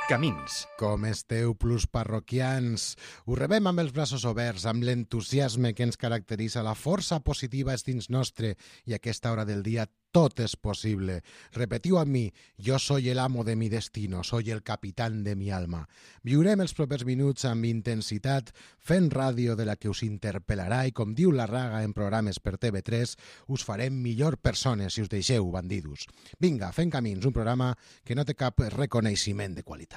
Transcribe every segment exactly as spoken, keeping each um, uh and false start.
Camins. Com esteu, plus parroquians? Us rebem amb els braços oberts, amb l'entusiasme que ens caracteritza, la força positiva és dins nostre i a aquesta hora del dia tot és possible. Repetiu amb mi, jo soy el amo de mi destino, soy el capitán de mi alma. Viurem els propers minuts amb intensitat, fent ràdio de la que us interpel·larà i, com diu la Raga en programes per T V tres, us farem millor persones si us deixeu, bandidos. Vinga, fem camins, un programa que no té cap reconeixement de qualitat.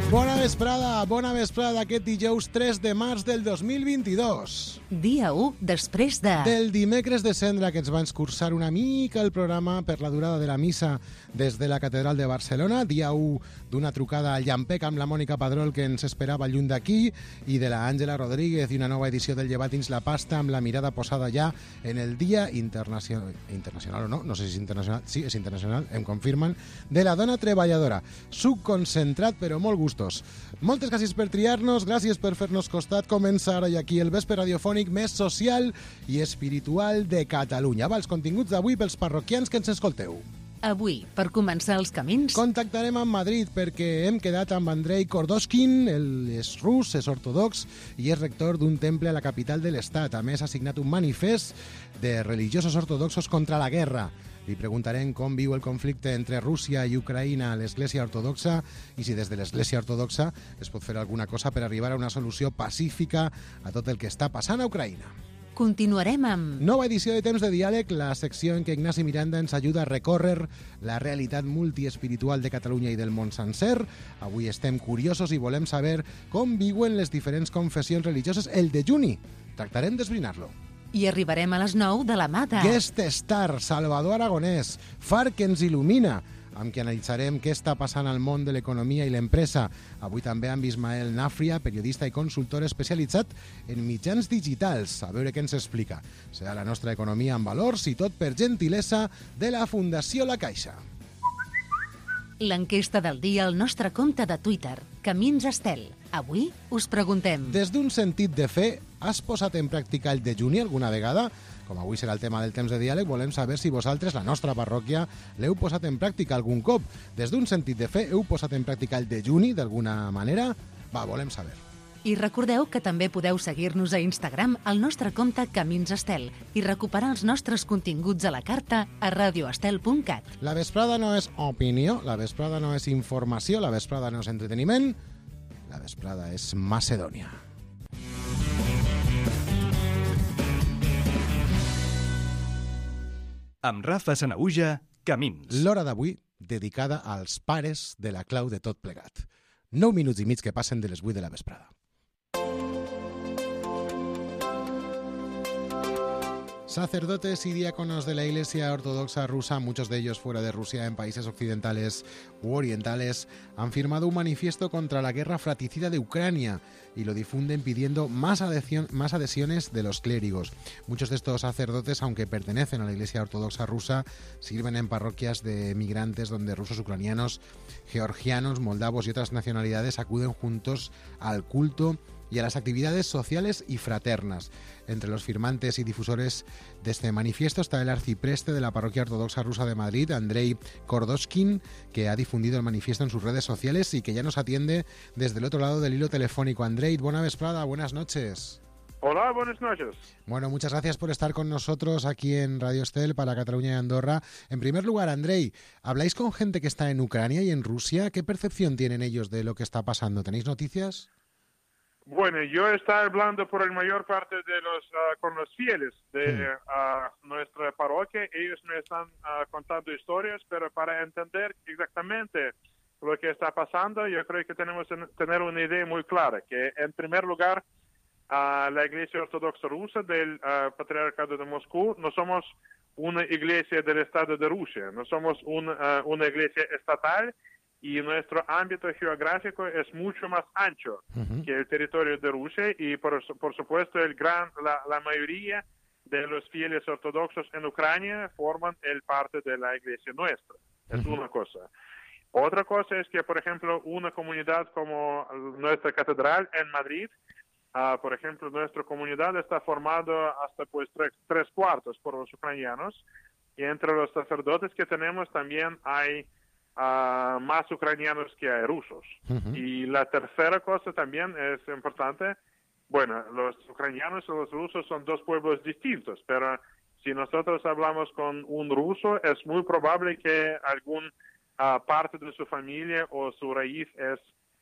Bona vesprada, bona vesprada aquest dijous tres de març del dos mil vint-i-dos. Dia u després de... Del dimecres de cendra, que ens va escurçar una mica el programa per la durada de la missa des de la Catedral de Barcelona. Dia u d'una trucada al Llampec amb la Mònica Padrol, que ens esperava lluny d'aquí, i de la Àngela Rodríguez, i una nova edició del Llevat dins la pasta amb la mirada posada ja en el Dia Internacional, internacional o no, no sé si és internacional, sí, és internacional, em confirmen, de la dona treballadora. Suc concentrat, però molt gustós. Moltes gràcies per triar-nos, gràcies per fer-nos costat. Comença ara i aquí el vespre radiofònic més social i espiritual de Catalunya. Va, els continguts d'avui pels parroquians que ens escolteu. Avui, per començar els camins... Contactarem amb Madrid perquè hem quedat amb Andrei Kordoshkin, ell és rus, és ortodox i és rector d'un temple a la capital de l'Estat. A més, ha signat un manifest de religiosos ortodoxos contra la guerra. Li preguntarem com viu el conflicte entre Rússia i Ucraïna a l'Església Ortodoxa i si des de l'Església Ortodoxa es pot fer alguna cosa per arribar a una solució pacífica a tot el que està passant a Ucraïna. Continuarem amb... Nova edició de Temps de Diàleg, la secció en què Ignasi Miranda ens ajuda a recórrer la realitat multiespiritual de Catalunya i del món sencer. Avui estem curiosos i volem saber com viuen les diferents confessions religioses el dejuni. Tractarem d'esbrinar-lo. I arribarem a les nou de la mà de... Guest Star, Salvador Aragonès, far que ens il·lumina, amb qui analitzarem què està passant al món de l'economia i l'empresa. Avui també amb Ismael Nafria, periodista i consultor especialitzat en mitjans digitals. A veure què ens explica. Serà la nostra economia en valors i tot per gentilesa de la Fundació La Caixa. L'enquesta del dia al nostre compte de Twitter, Camins Estel. Avui us preguntem... Des d'un sentit de fe, has posat en pràctica el dejuni alguna vegada? Com avui serà el tema del temps de diàleg, volem saber si vosaltres, la nostra parròquia, l'heu posat en pràctica algun cop. Des d'un sentit de fe, heu posat en pràctica el dejuni d'alguna manera? Va, volem saber. I recordeu que també podeu seguir-nos a Instagram al nostre compte Camins Estel i recuperar els nostres continguts a la carta a radioestel punt cat. La vesprada no és opinió, la vesprada no és informació, la vesprada no és entreteniment, la vesprada és Macedònia. Amb Rafa Sanaüja, Camins. L'hora d'avui dedicada als pares de la clau de tot plegat. Nou minuts i mig que passen de les vuit de la vesprada. Sacerdotes y diáconos de la Iglesia Ortodoxa rusa, muchos de ellos fuera de Rusia, en países occidentales u orientales, han firmado un manifiesto contra la guerra fratricida de Ucrania y lo difunden pidiendo más, adhesión, más adhesiones de los clérigos. Muchos de estos sacerdotes, aunque pertenecen a la Iglesia Ortodoxa rusa, sirven en parroquias de migrantes donde rusos, ucranianos, georgianos, moldavos y otras nacionalidades acuden juntos al culto y a las actividades sociales y fraternas. Entre los firmantes y difusores de este manifiesto está el arcipreste de la parroquia ortodoxa rusa de Madrid, Andrei Kordoshkin, que ha difundido el manifiesto en sus redes sociales y que ya nos atiende desde el otro lado del hilo telefónico. Andrei, buena vesprada, buenas noches. Hola, buenas noches. Bueno, muchas gracias por estar con nosotros aquí en Radio Estel para Cataluña y Andorra. En primer lugar, Andrei, ¿habláis con gente que está en Ucrania y en Rusia? ¿Qué percepción tienen ellos de lo que está pasando? ¿Tenéis noticias? Bueno, yo estoy hablando por la mayor parte de los uh, con los fieles de uh, nuestra parroquia. Ellos me están uh, contando historias, pero para entender exactamente lo que está pasando, yo creo que tenemos que tener una idea muy clara, que en primer lugar, uh, la Iglesia Ortodoxa Rusa del uh, Patriarcado de Moscú no somos una iglesia del Estado de Rusia, no somos un, uh, una iglesia estatal, y nuestro ámbito geográfico es mucho más ancho uh-huh. que el territorio de Rusia y por, por supuesto el gran, la, la mayoría de los fieles ortodoxos en Ucrania forman el parte de la iglesia nuestra. Es uh-huh. una cosa. Otra cosa es que, por ejemplo, una comunidad como nuestra catedral en Madrid, uh, por ejemplo, nuestra comunidad está formada hasta pues tres, tres cuartos por los ucranianos, y entre los sacerdotes que tenemos también hay uh, más ucranianos que hay rusos. Uh-huh. Y la tercera cosa también es importante, bueno, los ucranianos y los rusos son dos pueblos distintos, pero si nosotros hablamos con un ruso, es muy probable que algún uh, parte de su familia o su raíz es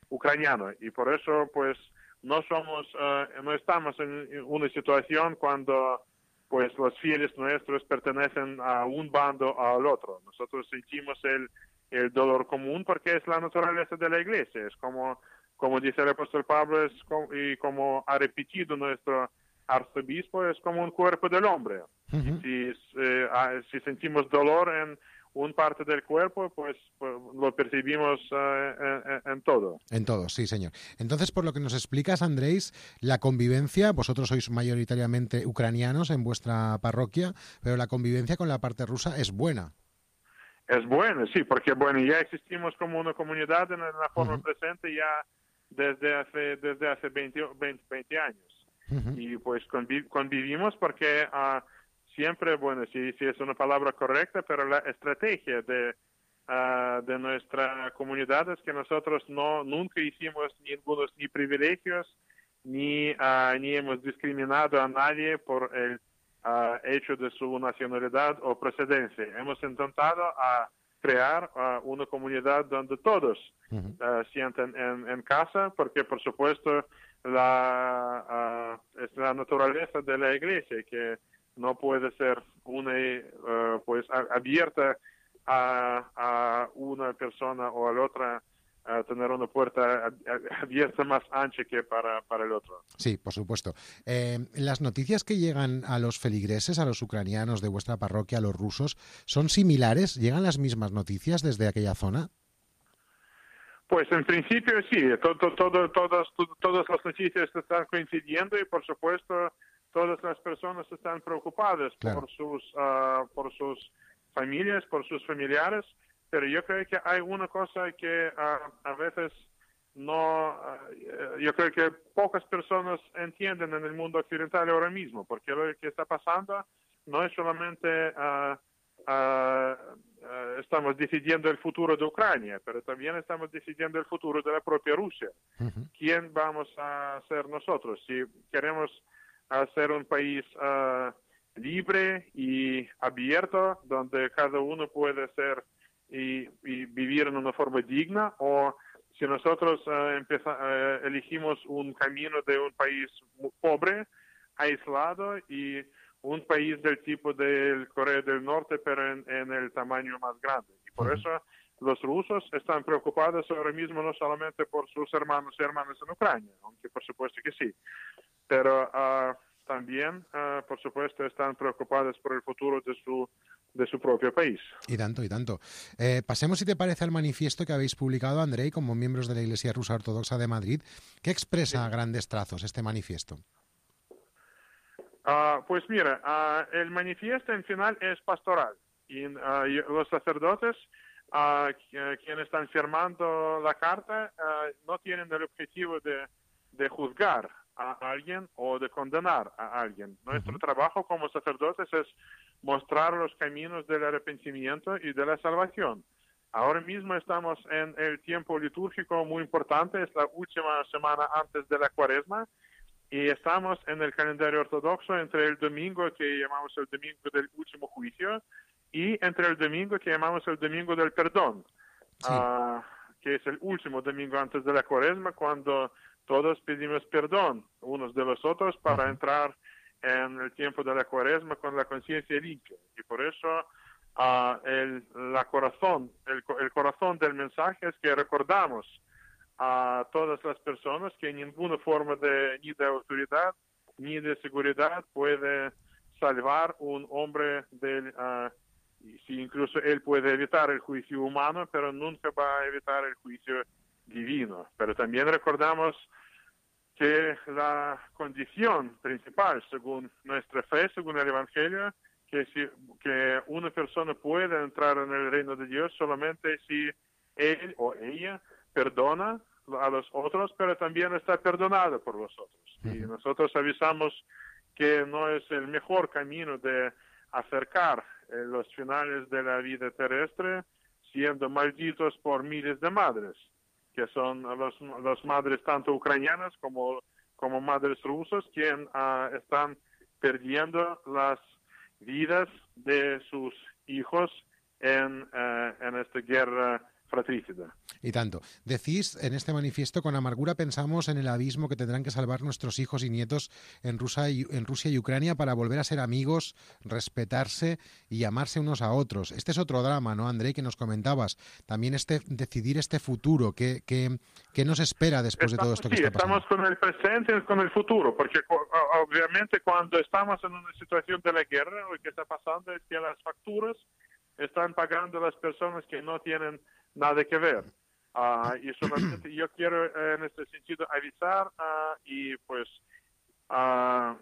ucraniano, y por eso pues no somos, uh, no estamos en una situación cuando pues los fieles nuestros pertenecen a un bando o al otro. Nosotros sentimos el, el dolor común porque es la naturaleza de la Iglesia. Es como, como dice el apóstol Pablo, es como, y como ha repetido nuestro arzobispo, es como un cuerpo del hombre. Uh-huh. Si, eh, si sentimos dolor en un parte del cuerpo, pues, pues lo percibimos uh, en, en todo. En todo, sí, señor. Entonces, por lo que nos explicas, Andrés, la convivencia, vosotros sois mayoritariamente ucranianos en vuestra parroquia, pero la convivencia con la parte rusa es buena. Es buena, sí, porque bueno, ya existimos como una comunidad en la forma uh-huh. presente ya desde hace desde hace veinte, veinte, veinte años. Uh-huh. Y pues conviv- convivimos porque uh, siempre, bueno, si, si es una palabra correcta, pero la estrategia de, uh, de nuestra comunidad es que nosotros no nunca hicimos ningunos ni privilegios, ni, uh, ni hemos discriminado a nadie por el uh, hecho de su nacionalidad o procedencia. Hemos intentado uh, crear uh, una comunidad donde todos uh, sienten en, en casa, porque por supuesto la, uh, es la naturaleza de la Iglesia que no puede ser una uh, pues abierta a, a una persona o a la otra, a tener una puerta abierta más ancha que para, para el otro. Sí, por supuesto. Eh, las noticias que llegan a los feligreses, a los ucranianos de vuestra parroquia, a los rusos, ¿son similares? ¿Llegan las mismas noticias desde aquella zona? Pues en principio sí, todo, todo, todas, todas las noticias están coincidiendo y por supuesto todas las personas están preocupadas claro. por sus uh, por sus familias, por sus familiares, pero yo creo que hay una cosa que uh, a veces no, uh, yo creo que pocas personas entienden en el mundo occidental ahora mismo, porque lo que está pasando no es solamente uh, uh, uh, estamos decidiendo el futuro de Ucrania, pero también estamos decidiendo el futuro de la propia Rusia. Uh-huh. ¿Quién vamos a ser nosotros? Si queremos a ser un país uh, libre y abierto, donde cada uno puede ser y, y vivir en una forma digna, o si nosotros uh, empeza, uh, elegimos un camino de un país pobre, aislado, y un país del tipo del Corea del Norte, pero en, en el tamaño más grande. Y por eso los rusos están preocupados ahora mismo no solamente por sus hermanos y hermanas en Ucrania, aunque por supuesto que sí, pero uh, también, uh, por supuesto, están preocupados por el futuro de su de su propio país. Y tanto, y tanto. Eh, pasemos, si te parece, al manifiesto que habéis publicado, Andrei, como miembros de la Iglesia Rusa Ortodoxa de Madrid. ¿Qué expresa sí. a grandes trazos este manifiesto? Uh, pues mira, uh, el manifiesto en final es pastoral. Y uh, los sacerdotes, uh, quienes están firmando la carta, uh, no tienen el objetivo de, de juzgar a alguien o de condenar a alguien. Nuestro uh-huh. trabajo como sacerdotes es mostrar los caminos del arrepentimiento y de la salvación. Ahora mismo estamos en el tiempo litúrgico muy importante, es la última semana antes de la Cuaresma, y estamos en el calendario ortodoxo entre el domingo que llamamos el domingo del último juicio y entre el domingo que llamamos el domingo del perdón, sí. uh, que es el último domingo antes de la Cuaresma, cuando todos pedimos perdón unos de los otros para uh-huh. entrar en el tiempo de la Cuaresma con la conciencia limpia. Y por eso uh, el, la corazón, el, el corazón del mensaje es que recordamos a todas las personas que ninguna forma de, ni de autoridad ni de seguridad puede salvar un hombre del, uh, y si incluso él puede evitar el juicio humano, pero nunca va a evitar el juicio divino. Pero también recordamos que la condición principal, según nuestra fe, según el Evangelio, que, si, que una persona puede entrar en el reino de Dios solamente si él o ella perdona a los otros, pero también está perdonado por los otros. Uh-huh. Y nosotros avisamos que no es el mejor camino de acercar eh, los finales de la vida terrestre siendo malditos por miles de madres, que son los, los madres tanto ucranianas como, como madres rusas, quienes uh, están perdiendo las vidas de sus hijos en, uh, en esta guerra fratricida. Y tanto. Decís en este manifiesto, con amargura pensamos en el abismo que tendrán que salvar nuestros hijos y nietos en Rusia y, en Rusia y Ucrania para volver a ser amigos, respetarse y amarse unos a otros. Este es otro drama, ¿no, Andrei, que nos comentabas? También este decidir este futuro, ¿qué, qué, qué nos espera después estamos, de todo esto que sí, está pasando? Estamos con el presente y con el futuro, porque obviamente cuando estamos en una situación de la guerra, lo que está pasando es que las facturas están pagando las personas que no tienen nada que ver. Uh, y solamente yo quiero uh, en este sentido avisar uh, y pues uh,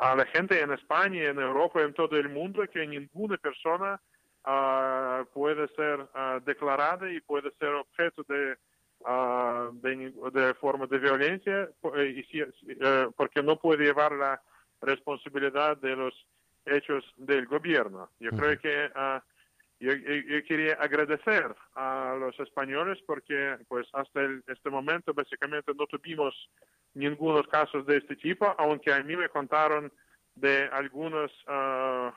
a la gente en España, en Europa, en todo el mundo, que ninguna persona uh, puede ser uh, declarada y puede ser objeto de, uh, de, de forma de violencia y si, uh, porque no puede llevar la responsabilidad de los hechos del gobierno. Yo uh-huh. creo que uh, Yo, yo, yo quería agradecer a los españoles porque pues hasta el, este momento básicamente no tuvimos ningunos casos de este tipo, aunque a mí me contaron de algunas uh,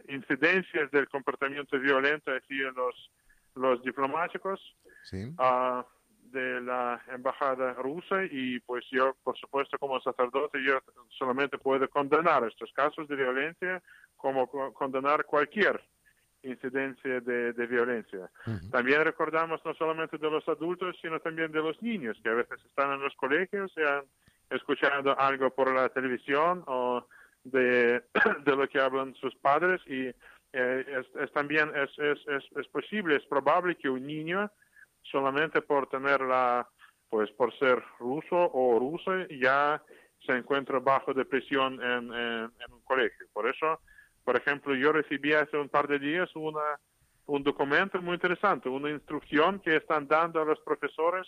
incidencias del comportamiento violento así en los, los diplomáticos ¿Sí? uh, de la embajada rusa y pues yo, por supuesto, como sacerdote, yo solamente puedo condenar estos casos de violencia como condenar cualquier incidencia de, de violencia. Uh-huh. También recordamos no solamente de los adultos, sino también de los niños, que a veces están en los colegios y han escuchado algo por la televisión o de, de lo que hablan sus padres y eh, es, es también es, es, es, es posible, es probable que un niño solamente por tener la, pues por ser ruso o rusa ya se encuentra bajo depresión en, en, en un colegio. Por eso, por ejemplo, yo recibí hace un par de días una, un documento muy interesante, una instrucción que están dando a los profesores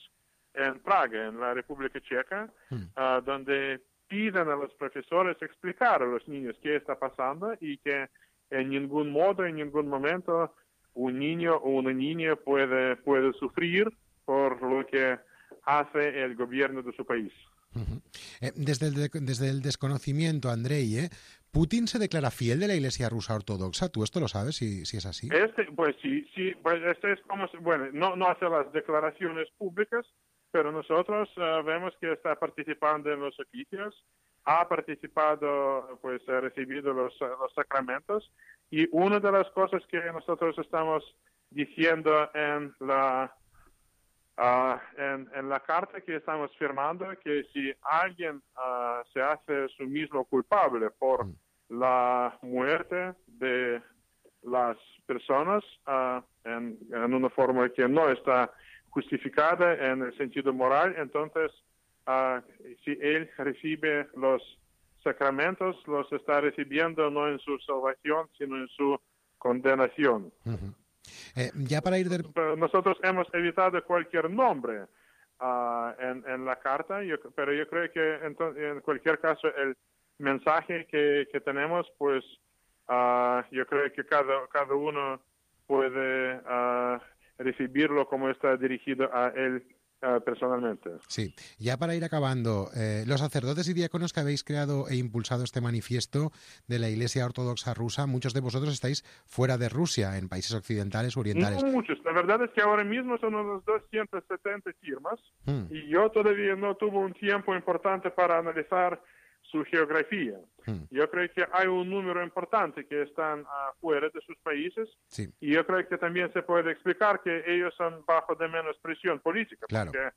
en Praga, en la República Checa, mm. uh, donde piden a los profesores explicar a los niños qué está pasando y que en ningún modo, en ningún momento, un niño o una niña puede, puede sufrir por lo que hace el gobierno de su país. Uh-huh. Eh, desde, el de, desde el desconocimiento, Andrei, ¿eh? ¿Putin se declara fiel de la Iglesia rusa ortodoxa? ¿Tú esto lo sabes, si, si es así? Este, pues sí, sí, pues este es como, bueno, no, no hace las declaraciones públicas, pero nosotros uh, vemos que está participando en los oficios, ha participado, pues ha recibido los, los sacramentos, y una de las cosas que nosotros estamos diciendo en la Uh, en, en la carta que estamos firmando, que si alguien uh, se hace su mismo culpable por mm. la muerte de las personas uh, en, en una forma que no está justificada en el sentido moral, entonces uh, si él recibe los sacramentos, los está recibiendo no en su salvación, sino en su condenación. Uh-huh. Eh, ya para ir de... Nosotros hemos evitado cualquier nombre uh, en, en la carta, yo, pero yo creo que en, en cualquier caso el mensaje que, que tenemos, pues uh, yo creo que cada, cada uno puede uh, recibirlo como está dirigido a él Uh, personalmente. Sí, ya para ir acabando, eh, los sacerdotes y diáconos que habéis creado e impulsado este manifiesto de la Iglesia Ortodoxa rusa, muchos de vosotros estáis fuera de Rusia, en países occidentales o orientales. No muchos, la verdad es que ahora mismo son unos doscientas setenta firmas hmm. y yo todavía no tuve un tiempo importante para analizar su geografía. Hmm. Yo creo que hay un número importante que están afuera de sus países sí. y yo creo que también se puede explicar que ellos son bajo de menos presión política. Claro. Porque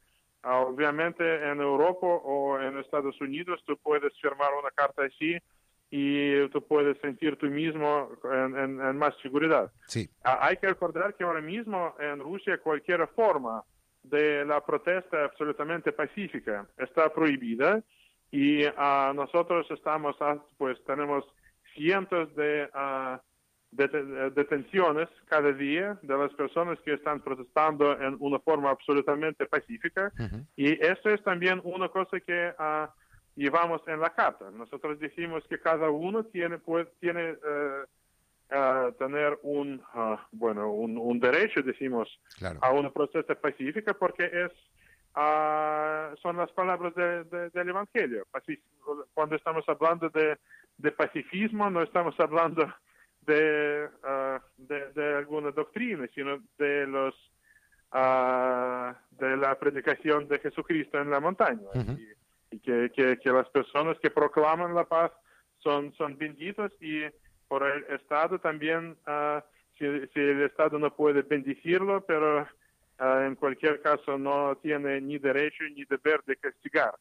uh, obviamente en Europa o en Estados Unidos tú puedes firmar una carta así y tú puedes sentir tú mismo en, en, en más seguridad. Sí. Uh, hay que recordar que ahora mismo en Rusia cualquier forma de la protesta absolutamente pacífica está prohibida. Y uh, nosotros estamos, uh, pues tenemos cientos de, uh, de, de detenciones cada día de las personas que están protestando en una forma absolutamente pacífica. Uh-huh. Y eso es también una cosa que uh, llevamos en la carta. Nosotros decimos que cada uno tiene, pues, tiene uh, uh, tener un, uh, bueno, un, un derecho, decimos, claro. a una protesta pacífica, porque es, uh, son las palabras de, de, del Evangelio. Pacif- Cuando estamos hablando de, de pacifismo, no estamos hablando de, uh, de, de alguna doctrina, sino de los uh, de la predicación de Jesucristo en la montaña. Uh-huh. Y, y que, que, que las personas que proclaman la paz son, son benditos, y por el Estado también, uh, si, si el Estado no puede bendecirlo, pero uh, en cualquier caso no tiene ni derecho ni deber de castigar.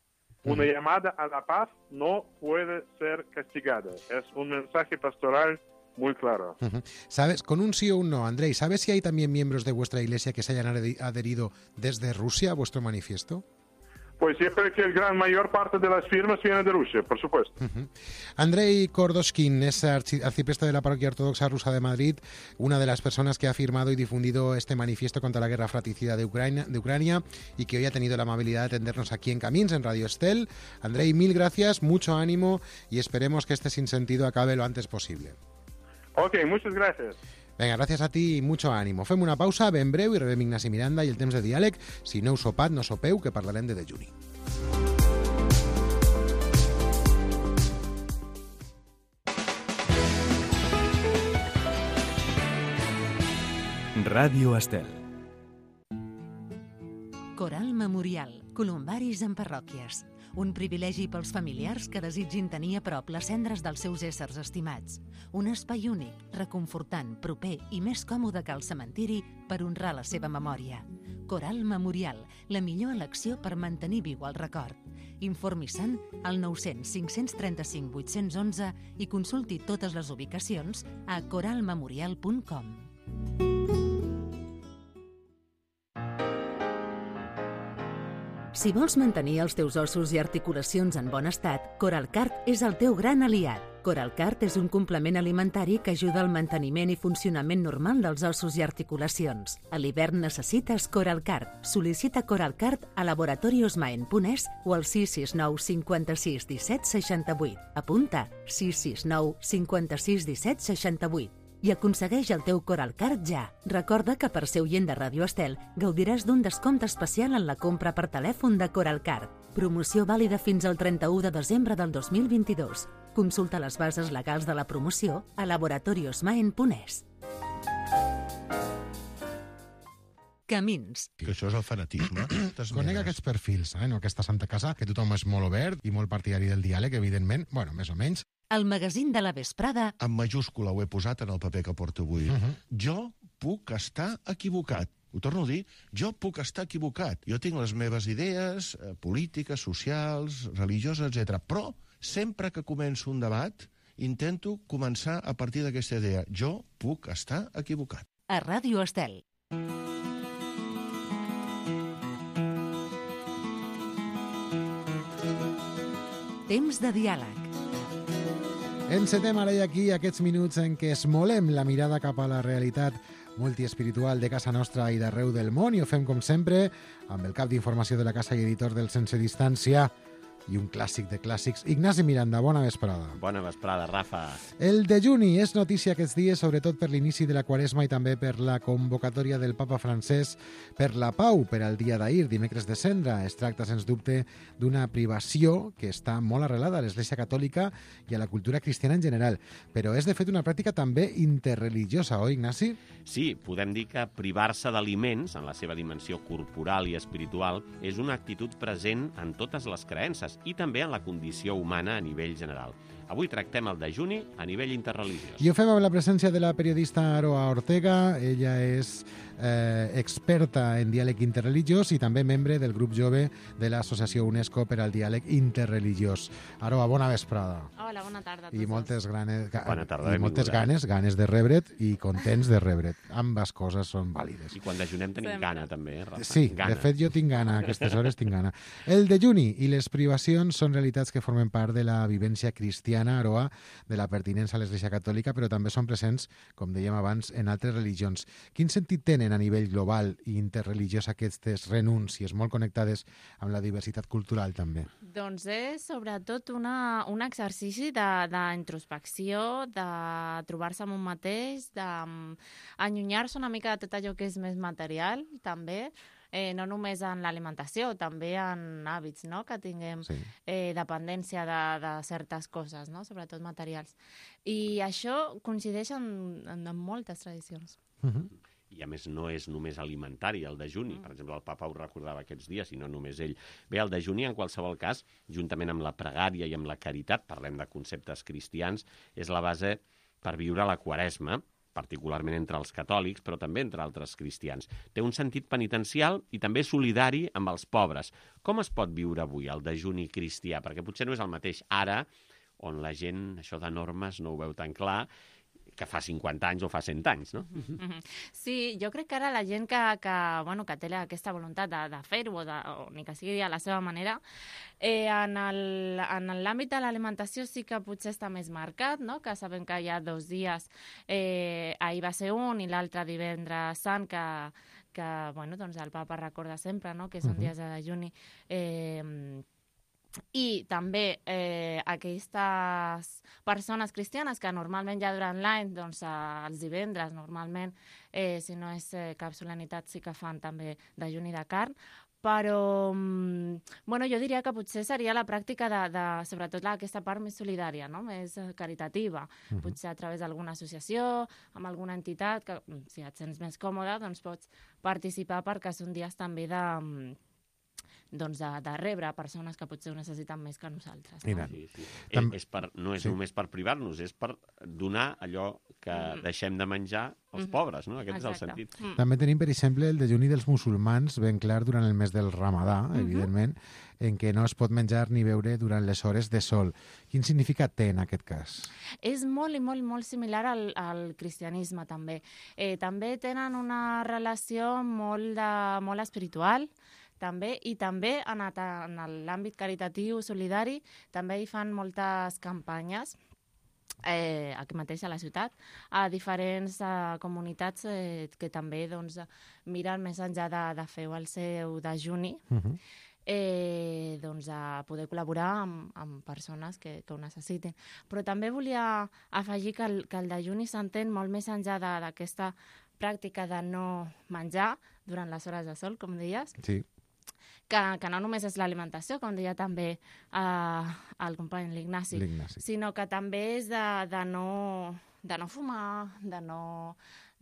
Uh-huh. Una llamada a la paz no puede ser castigada. Es un mensaje pastoral muy claro. Uh-huh. ¿Sabes? Con un sí o un no, Andrei, ¿sabes si hay también miembros de vuestra iglesia que se hayan adherido desde Rusia a vuestro manifiesto? Pues siempre que el gran mayor parte de las firmas viene de Rusia, por supuesto. Uh-huh. Andrei Kordoshkin es archi- arcipreste de la Parroquia Ortodoxa Rusa de Madrid, una de las personas que ha firmado y difundido este manifiesto contra la guerra fratricida de Ucrania, de Ucrania y que hoy ha tenido la amabilidad de atendernos aquí en Camins, en Radio Estel. Andrei, mil gracias, mucho ánimo y esperemos que este sinsentido acabe lo antes posible. Ok, muchas gracias. Vinga, gràcies a ti i mucho ánimo. Fem una pausa ben breu i rebem Ignasi Miranda i el temps de diàleg. Si no heu sopat, no sopeu, que parlarem de dejuni. Ràdio Estel. Coral Memorial, columbaris en parròquies. Un privilegi pels familiars que desitgin tenir a prop les cendres dels seus éssers estimats. Un espai únic, reconfortant, proper i més còmode que el cementiri per honrar la seva memòria. Coral Memorial, la millor elecció per mantenir viu el record. Informi-se'n al nou cents cinc cents trenta-cinc vuit-cents onze i consulti totes les ubicacions a coral memorial punt com. Si vols mantenir els teus ossos i articulacions en bon estat, Coralcart és el teu gran aliat. Coralcart és un complement alimentari que ajuda al manteniment i funcionament normal dels ossos i articulacions. A l'hivern necessites Coralcart. Sol·licita Coralcart a laboratoriosmaen punt es o al sis sis nou cinquanta-sis disset seixanta-vuit. Apunta sis sis nou cinquanta-sis disset seixanta-vuit. I aconsegueix el teu Coralcart ja. Recorda que per ser oient de Ràdio Estel gaudiràs d'un descompte especial en la compra per telèfon de Coralcart. Promoció vàlida fins al trenta-u de desembre del dos mil vint-i-dos. Consulta les bases legals de la promoció a laboratoriosmaen punt es. Camins. Que això és el fanatisme. Conec aquests perfils, eh? No aquesta Santa Casa, que tothom és molt obert i molt partidari del diàleg, evidentment, bueno, més o menys. El magazín de la vesprada. En majúscula ho he posat en el paper que porto avui. Uh-huh. Jo puc estar equivocat. Ho torno a dir, jo puc estar equivocat. Jo tinc les meves idees eh, polítiques, socials, religioses, etcètera. Però sempre que començo un debat, intento començar a partir d'aquesta idea. Jo puc estar equivocat. A Ràdio Estel. Temps de diàleg. Encetem ara i aquí aquests minuts en què esmolem la mirada cap a la realitat multiespiritual de casa nostra i d'arreu del món i ho fem com sempre amb el cap d'informació de la casa i editor del Sense Distància i un clàssic de clàssics. Ignasi Miranda, bona vesprada. Bona vesprada, Rafa. El dejuni és notícia aquests dies, sobretot per l'inici de la Quaresma i també per la convocatòria del papa francès per la pau per al dia d'ahir, dimecres de Cendra. Es tracta, sens dubte, d'una privació que està molt arrelada a l'Església Catòlica i a la cultura cristiana en general. Però és, de fet, una pràctica també interreligiosa, oi, Ignasi? Sí, podem dir que privar-se d'aliments, en la seva dimensió corporal i espiritual, és una actitud present en totes les creences i també en la condició humana a nivell general. Avui tractem el dejuni a nivell interreligiós. I ho fem amb la presència de la periodista Aroa Ortega. Ella és eh, experta en diàleg interreligiós i també membre del grup jove de l'Associació UNESCO per al diàleg interreligiós. Aroa, bona vesprada. Hola, bona tarda a tots. I moltes, granes, ga, Bona tarda, i moltes benvinguda. ganes, ganes de rebre't i contents de rebre't. Ambes coses són vàlides. I quan dejunem tenim Sempre. gana, també, eh, Rafa? Sí, gana. de fet jo tinc gana, a aquestes hores tinc gana. El dejuni i les privacions són realitats que formen part de la vivència cristiana cristiana, Aroa, de la pertinença a l'Església Catòlica, però també són presents, com dèiem abans, en altres religions. Quin sentit tenen a nivell global i interreligiós aquestes renúncies molt connectades amb la diversitat cultural també? Doncs és sobretot una, un exercici d'introspecció, de, de trobar-se amb un mateix, d'allunyar-se una mica de tot allò que és més material, també, eh, no només en l'alimentació, també en hàbits, no?, que tinguem sí. eh, dependència de, de certes coses, no?, sobretot materials. I això coincideix en, en, en moltes tradicions. Uh-huh. I a més no és només alimentari, el dejuni. Per exemple, el papa ho recordava aquests dies, i no només ell. Bé, el dejuni, en qualsevol cas, juntament amb la pregària i amb la caritat, parlem de conceptes cristians, és la base per viure la Quaresma, particularment entre els catòlics, però també entre altres cristians. Té un sentit penitencial i també solidari amb els pobres. Com es pot viure avui el dejuni cristià? Perquè potser no és el mateix ara, on la gent, això de normes, no ho veu tan clar, que fa cinquanta anys o fa cent anys, no? Sí, jo crec que ara la gent que, que, bueno, que té aquesta voluntat de, de fer-ho, o, de, o ni que sigui a la seva manera, eh, en l'àmbit de l'alimentació sí que potser està més marcat, no?, que sabem que hi ha dos dies, eh, ahir va ser un i l'altre divendres sant, que, que bueno, doncs el papa recorda sempre, no?, que són uh-huh. dies de dejuni. Eh, I també eh, aquestes persones cristianes que normalment ja durant l'any, doncs els divendres normalment, eh, si no és eh, cap solemnitat, sí que fan també dejuni de carn, però bueno, jo diria que potser seria la pràctica de, de sobretot aquesta part més solidària, no?, més caritativa, uh-huh. potser a través d'alguna associació, amb alguna entitat, que si et sents més còmode, doncs pots participar perquè són dies també de... doncs de, de rebre persones que potser ho necessiten més que nosaltres. No? Sí, sí. Tam... És per, no és sí. només per privar-nos, és per donar allò que mm. deixem de menjar als mm. pobres, no? Aquest Exacte. És el sentit. Mm. També tenim, per exemple, el dejuni dels musulmans, ben clar, durant el mes del Ramadà, mm-hmm. evidentment, en què no es pot menjar ni beure durant les hores de sol. Quin significat té en aquest cas? És molt i molt, molt similar al, al cristianisme, també. Eh, també tenen una relació molt, de, molt espiritual, també, i també en, en l'àmbit caritatiu, solidari, també hi fan moltes campanyes, eh, aquí mateix a la ciutat, a diferents eh, comunitats eh, que també doncs, miren més enllà de, de fer el seu dejuni, uh-huh. eh, doncs, a poder col·laborar amb, amb persones que, que ho necessitin. Però també volia afegir que el, que el dejuni s'entén molt més enllà d'aquesta pràctica de no menjar durant les hores de sol, com deies, sí. Que, que no només és l'alimentació, com deia també uh, el company l'Ignasi, sinó que també és de, de, no, de no fumar, de no,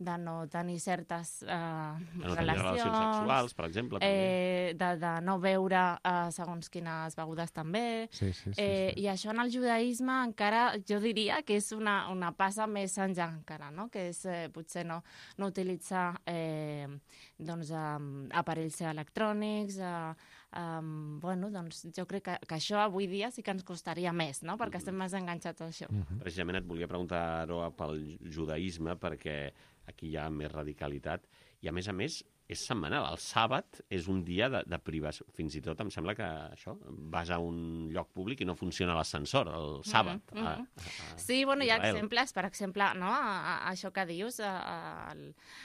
de no tenir certes uh, de no relacions, relacions sexuals, per exemple. Eh, de, de no beure uh, segons quines begudes també. Sí, sí, sí, eh, sí. I això en el judaïsme encara jo diria que és una, una passa més enllà encara, no? Que és eh, potser no, no utilitzar eh, doncs, um, aparells electrònics, uh, um, bueno, doncs jo crec que, que això avui dia sí que ens costaria més, no? Perquè estem més enganxats a això. Uh-huh. Precisament et volia preguntar, Aroa, pel judaïsme, perquè aquí hi ha més radicalitat, i a més a més és setmanal. El sàbat és un dia de, de privació. Fins i tot em sembla que això, vas a un lloc públic i no funciona l'ascensor el sàbat. Mm -hmm. a, a, a sí, bueno, hi ha Israel. exemples, per exemple, no? a, a això que dius, a, a,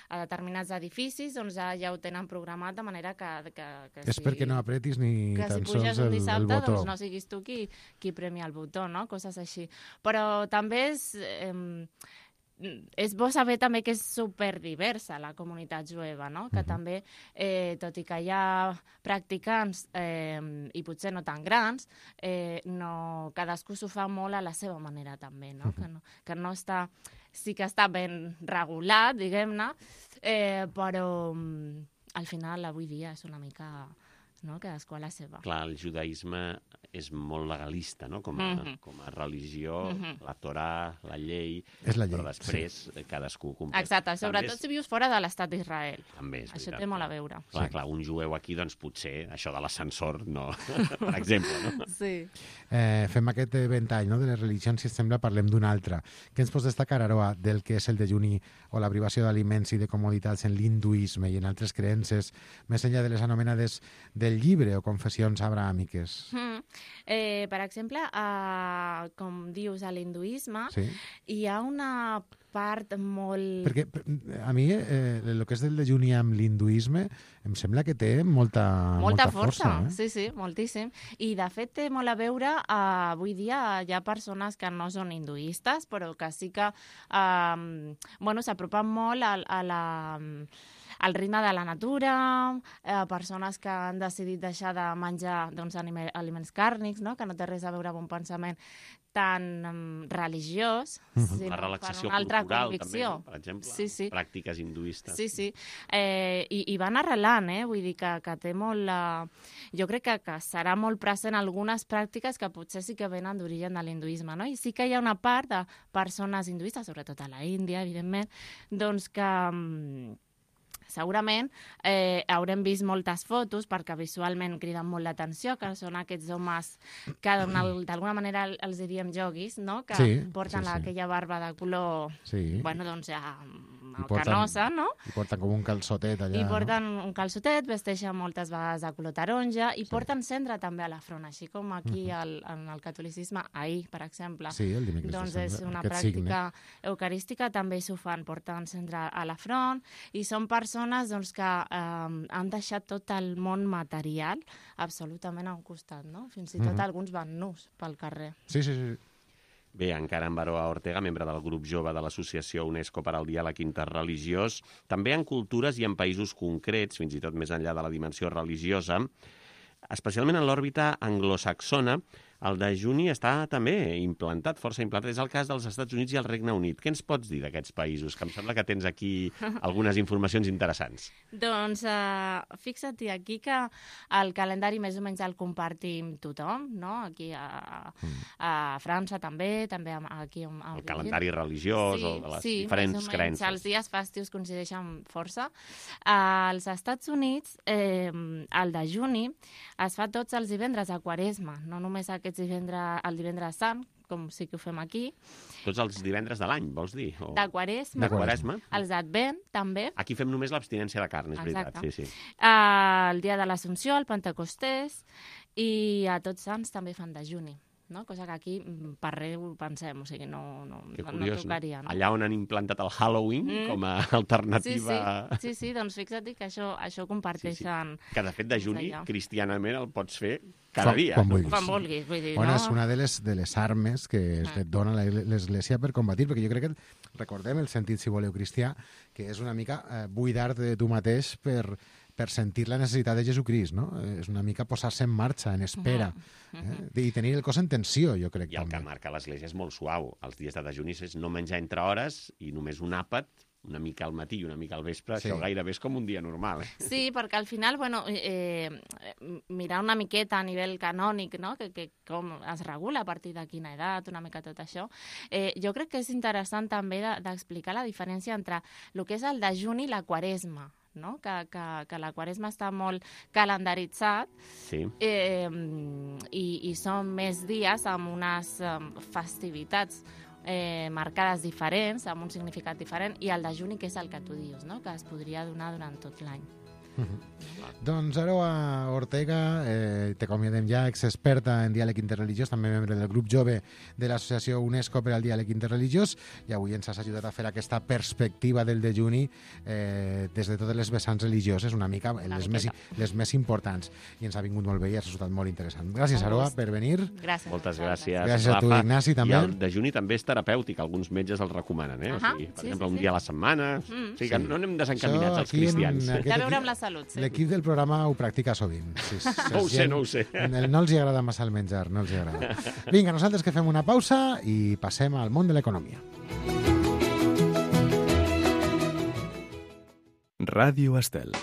a determinats edificis, doncs ja, ja ho tenen programat de manera que... que, que és si, perquè no apretis ni que tan si sols puges un el, dissabte, el botó. Doncs no siguis tu qui, qui premi el botó, no? Coses així. Però també és... Eh, és bo saber també que és superdiversa la comunitat jueva, no? Que uh-huh. també, eh, tot i que hi ha practicants eh, i potser no tan grans, eh, no, cadascú s'ho fa molt a la seva manera també, no? Uh-huh. Que no, que no està, sí que està ben regulat, diguem-ne, eh, però al final avui dia és una mica... no? Cadascú a la seva. Clar, el judaïsme és molt legalista, no? Com a, mm-hmm. com a religió, mm-hmm. la Torà, la llei, és la llei, però després sí. cadascú compleix. Exacte, sobretot és... si vius fora de l'estat d'Israel. També és Això veritat. té molt a veure. Clar, sí. clar, un jueu aquí, doncs potser això de l'ascensor, no, per exemple, no? Sí. Eh, fem aquest ventall, no?, de les religions, si et sembla, parlem d'una altra. Què ens pots destacar, Aroa, del que és el dejuni o la privació d'aliments i de comoditats en l'hinduisme i en altres creences, més enllà de les anomenades de del llibre o confessions abrahàmiques? Mm. Eh, per exemple, uh, com dius, a l'hinduisme Sí. hi ha una part molt... Perquè a mi eh, el que és del dejuni amb l'hinduisme em sembla que té molta, Molta molta força. força, eh? sí, sí, moltíssim. I, de fet, té molt a veure, uh, avui dia hi ha persones que no són hinduistes, però que sí que uh, bueno, s'apropen molt a, a la, al ritme de la natura, eh, persones que han decidit deixar de menjar doncs, anime, aliments càrnics, no? Que no té res a veure amb un pensament tan um, religiós, sinó La relaxació per una altra corporal, convicció. també, no? Per exemple, Sí, sí. pràctiques hinduistes. Sí, sí. Eh, i, I van arrelant, eh? Vull dir que, que té molt... La... Jo crec que, que serà molt present algunes pràctiques que potser sí que venen d'origen de l'hinduisme, no? I sí que hi ha una part de persones hinduistes, sobretot a la Índia, evidentment, doncs que... mm, segurament eh, haurem vist moltes fotos perquè visualment criden molt l'atenció, que són aquests homes que d'alguna manera els diríem yoguis, no? Que Sí, porten sí, sí. aquella barba de color, Sí. bueno, doncs ja I porten- canosa, no? I porten com un calçotet allà. I porten un calçotet, vesteixen moltes vegades de color taronja i porten cendra també a la front, així com aquí al, en el catolicisme, ahir, per exemple. No? Sí, el dimecres Doncs de és cendra, una aquest pràctica signe. eucarística, també s'ho fan, porten cendra a la front, i són persones doncs, que eh, han deixat tot el món material absolutament a un costat, no? Fins i tot Mhm. alguns van nus pel carrer. Sí, sí, sí. Bé, encara en Baroa Ortega, membre del grup jove de l'Associació UNESCO per al Diàleg Interreligiós, també en cultures i en països concrets, fins i tot més enllà de la dimensió religiosa, especialment en l'òrbita anglosaxona, el dejuni està també implantat, força implantat. És el cas dels Estats Units i el Regne Unit. Què ens pots dir d'aquests països? Que em sembla que tens aquí algunes informacions interessants. Doncs uh, fixa't aquí que el calendari més o menys el compartim tothom, no? Aquí a, a França també, també aquí a, a El calendari religiós sí, o de les sí, diferents més o menys, creences. Els dies festius coincideixen força. Uh, als Estats Units, eh, el dejuni es fa tots els divendres a Quaresma, no només aquests divendres, el divendres sant, com sí que ho fem aquí, Tots els divendres de l'any, vols dir? O... de Quaresma, De Quaresma. els d'Advent també, Aquí fem només l'abstinència de carn, és veritat. Exacte. Sí, sí. uh, el dia de l'Assumpció, el Pentecostés, i a Tots Sants també fan dejuni, no? Cosa que aquí mm, per res ho pensem, o sigui, no, no, Que no, curiós, no tocaria. No? Allà on han implantat el Halloween Mm. com a Sí, sí, alternativa... sí, sí, doncs fixa't que això, això ho comparteixen Que, de fet, de juni, allà. cristianament, el pots fer cada Quan- dia. quan vulguis. quan vulguis, vull dir, Bueno, no? és una de les, de les armes que es Ah. et dona la- l'Església per combatir, perquè jo crec que, recordem el sentit, si voleu, cristià, que és una mica eh, buidar-te de tu mateix per, per sentir la necessitat de Jesucrist, no? Eh, És una mica posar-se en marxa, en espera, eh? I tenir el cos en tensió, jo crec. I el que també. marca l'Església és molt suau. Els dies de dejuni és no menjar entre hores i només un àpat, una mica al matí i una mica al vespre. Sí. Això gairebé és com un dia normal. Eh? Sí, perquè al final, bueno, eh, eh, mirar una miqueta a nivell canònic, no? que, que com es regula a partir de quina edat, una mica tot això, eh, jo crec que és interessant també de- d'explicar la diferència entre el que és el dejuni i la quaresma, no? que, que, que la quaresma està molt calendaritzat Sí. eh, i, i són més dies amb unes eh, festivitats eh, marcades diferents, amb un significat diferent, i el dejuni, que és el que tu dius, no? que es podria donar durant tot l'any. Doncs Aroa Ortega, eh, t'acomiadem ja, experta en diàleg interreligiós, també membre del grup jove de l'Associació UNESCO per al Diàleg Interreligiós, i avui ens has ajudat a fer aquesta perspectiva del dejuni eh, des de totes les vessants religioses, una mica les, més, les més importants, i ens ha vingut molt bé i ha resultat molt interessant. Gràcies, Un Aroa, gust. per venir. Gràcies. Moltes a vosaltres. gràcies, Gràcies a tu, Rafa. Ignasi, també. I el dejuni també és terapèutic, alguns metges el recomanen, eh? Ahà, o sigui, per sí, exemple, sí, un sí. dia a la setmana... Mm. O sigui que Sí. no anem desencaminats Això els aquí en cristians. aquest Té a veure equip- amb la salut, sí. L'equip del programa ho practica sovint. Sí, sí, No ho sé, gent- no ho sé. No els hi agrada massa el menjar, no els hi agrada. Vinga, nosaltres que fem una pausa i passem al món de l'economia. Ràdio Estel.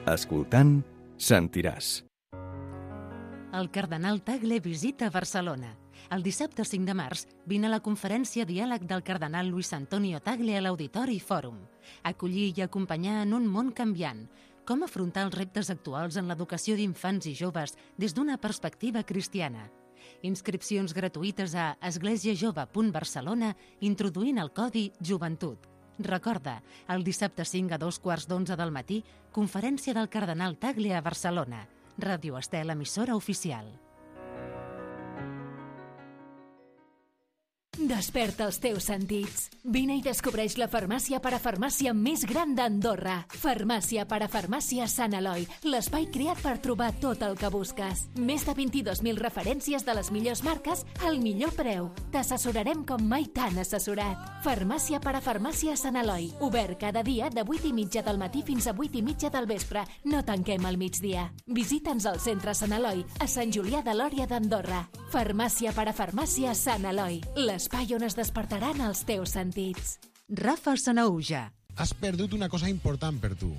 Escoltant, sentiràs. El cardenal Tagle visita Barcelona. El dissabte cinc de març vine a la conferència Diàleg del cardenal Luis Antonio Tagle a l'Auditori Fòrum. Acollir i acompanyar en un món canviant. Com afrontar els reptes actuals en l'educació d'infants i joves des d'una perspectiva cristiana. Inscripcions gratuïtes a esglésiajove punt barcelona introduint el codi Joventut. Recorda, el dissabte cinc a dos quarts d'onze del matí, conferència del cardenal Tagle a Barcelona. Ràdio Estel, emissora oficial. Desperta els teus sentits. Vine i descobreix la farmàcia parafarmàcia més gran d'Andorra. Farmàcia parafarmàcia Sant Eloi, l'espai creat per trobar tot el que busques. Més de vint-i-dos mil referències de les millors marques al millor preu. T'assessorarem com mai t'han assessorat. Farmàcia parafarmàcia Sant Eloi, obert cada dia de vuit i mitja del matí fins a vuit i mitja del vespre. No tanquem al migdia. Visita'ns al centre Sant Eloi, a Sant Julià de Lòria d'Andorra. Farmàcia parafarmàcia Sant Eloi, l'espai on es despertaran els teus sentits. Rafa Sanauja. Has perdut una cosa important per tu.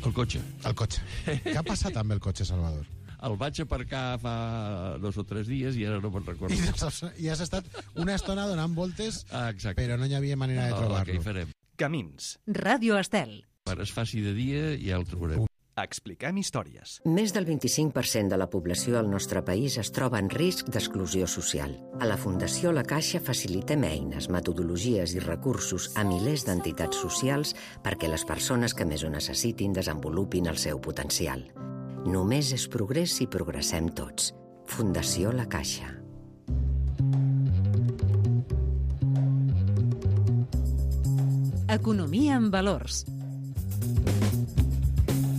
El cotxe. El cotxe. Què ha passat amb el cotxe, Salvador? El vaig aparcar fa dos o tres dies i ara no me'n recordo. I, has, I has estat una estona donant voltes, ah, però no hi havia manera de trobar-lo. Oh, què hi farem? Camins. Ràdio Estel. Quan es faci de dia ja el trobarem. Expliquem històries. Més del vint-i-cinc per cent de la població al nostre país es troba en risc d'exclusió social. A la Fundació La Caixa facilitem eines, metodologies i recursos a milers d'entitats socials perquè les persones que més ho necessitin desenvolupin el seu potencial. Només és progrés si progressem tots. Fundació La Caixa. Economia en valors.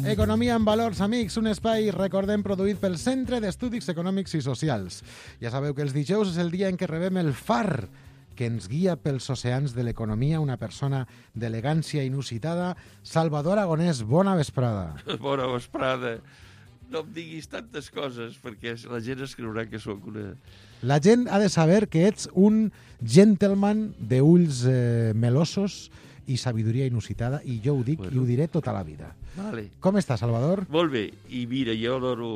Economia en valors, amics, un espai, recordem, produït pel Centre d'Estudis Econòmics i Socials. Ja sabeu que els dijous és el dia en què rebem el far que ens guia pels oceans de l'economia, una persona d'elegància inusitada, Salvador Aragonès. Bona vesprada. Bona vesprada. No em diguis tantes coses, perquè la gent es creurà que sóc una... La gent ha de saber que ets un gentleman d'ulls eh, melosos i sabidoria inusitada, i jo ho dic bueno. I ho diré tota la vida. Vale. Com està, Salvador? Molt bé, i mira, jo adoro,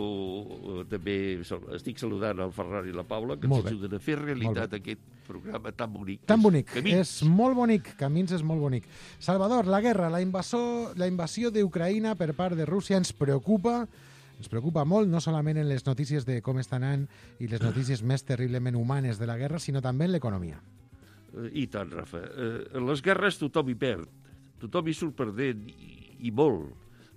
també estic saludant el Ferran i la Paula, que ens ajuden a fer realitat aquest programa tan bonic. Tan bonic, Camins. És molt bonic, Camins és molt bonic. Salvador, la guerra, la, invasor, la invasió d'Ucraïna per part de Rússia ens preocupa, ens preocupa molt, no solament en les notícies de com està anant i les notícies més terriblement humanes de la guerra, sinó també en l'economia. I tant, Rafa. Eh, en les guerres tothom hi perd. Tothom hi surt perdent, i, i molt.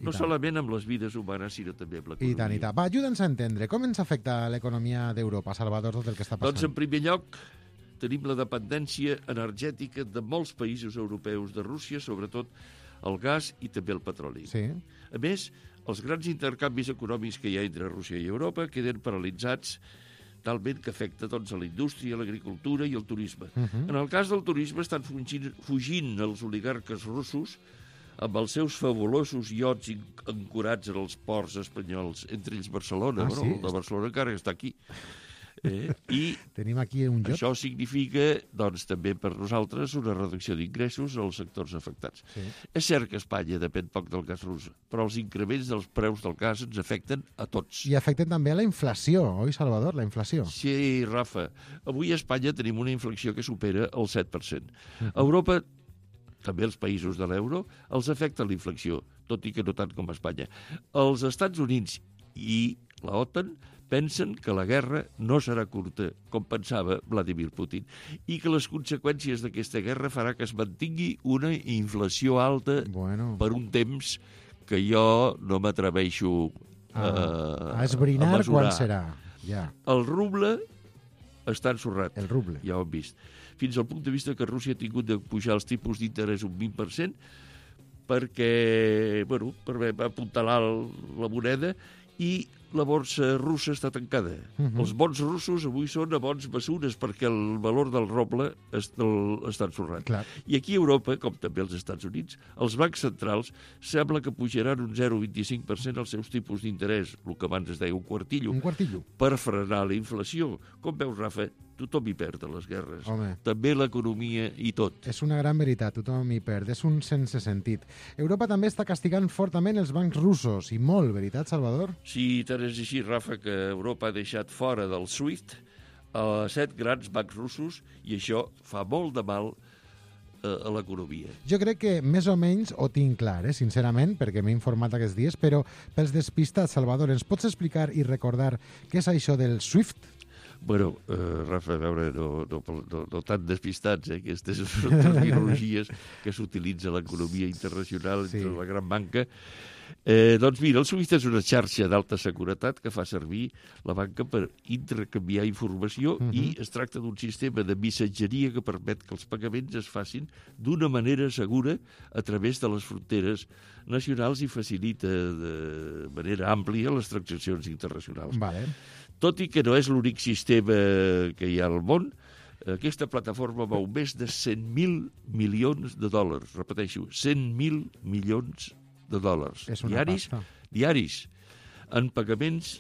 No solament amb les vides humanes, sinó també amb l'economia. I tant, i tant. Va, ajuda'ns a entendre. Com ens afecta l'economia d'Europa, Salvador, tot el que està passant? Doncs, en primer lloc, tenim la dependència energètica de molts països europeus de Rússia, sobretot el gas i també el petroli. Sí. A més, els grans intercanvis econòmics que hi ha entre Rússia i Europa queden paralitzats talment que afecta doncs, a la indústria, l'agricultura i el turisme. Uh -huh. En el cas del turisme estan fugint, fugint els oligarques russos amb els seus fabulosos iots ancorats en els ports espanyols, entre ells Barcelona. Ah, bueno, sí? El de Barcelona encara està aquí. Eh? I tenim aquí un lloc. Això significa, doncs, també per nosaltres, una reducció d'ingressos als sectors afectats. Sí. És cert que Espanya depèn poc del gas rus, però els increments dels preus del gas ens afecten a tots. I afecten també a la inflació, oi, Salvador, la inflació? Sí, Rafa. Avui a Espanya tenim una inflació que supera el set per cent. A Europa, també els països de l'euro, els afecta la inflació, tot i que no tant com a Espanya. Els Estats Units i la OTAN pensen que la guerra no serà curta, com pensava Vladimir Putin, i que les conseqüències d'aquesta guerra farà que es mantingui una inflació alta bueno. per un temps que jo no m'atreveixo a, a, a esbrinar a quan serà. Ja. El ruble està ensorrat. El ruble. Ja ho hem vist. Fins al punt de vista que Rússia ha tingut de pujar els tipus d'interès un vint per cent perquè, bueno, per apuntalar la moneda, i la borsa russa està tancada. Uh-huh. Els bons russos avui són a bons mesures perquè el valor del roble està ensorrat. Clar. I aquí a Europa, com també als Estats Units, els bancs centrals sembla que pujaran un zero coma vint-i-cinc per cent els seus tipus d'interès, el que abans es deia un quartillo, un quartillo, per frenar la inflació. Com veus, Rafa, tothom hi perd a les guerres. Home. També l'economia i tot. És una gran veritat, tothom hi perd. És un sense sentit. Europa també està castigant fortament els bancs russos, i molt, veritat, Salvador? Sí, tant és així, Rafa, que Europa ha deixat fora del SWIFT a set grans bancs russos, i això fa molt de mal a l'economia. Jo crec que més o menys ho tinc clar, eh, sincerament, perquè m'he informat aquests dies, però pels despistats, Salvador, ens pots explicar i recordar què és això del SWIFT? Bueno, eh, Rafa, a veure, no, no, no, no tan despistats, eh? Aquestes són terminologies que s'utilitza a l'economia internacional entre sí. la gran banca. Eh, doncs mira, el SWIFT és una xarxa d'alta seguretat que fa servir la banca per intercanviar informació uh-huh. i es tracta d'un sistema de missatgeria que permet que els pagaments es facin d'una manera segura a través de les fronteres nacionals i facilita de manera àmplia les transaccions internacionals. Vale. Tot i que no és l'únic sistema que hi ha al món, aquesta plataforma mou més de cent mil milions de dòlars. Repeteixo, cent mil milions de dòlars. És una diaris, pasta. diaris, en pagaments,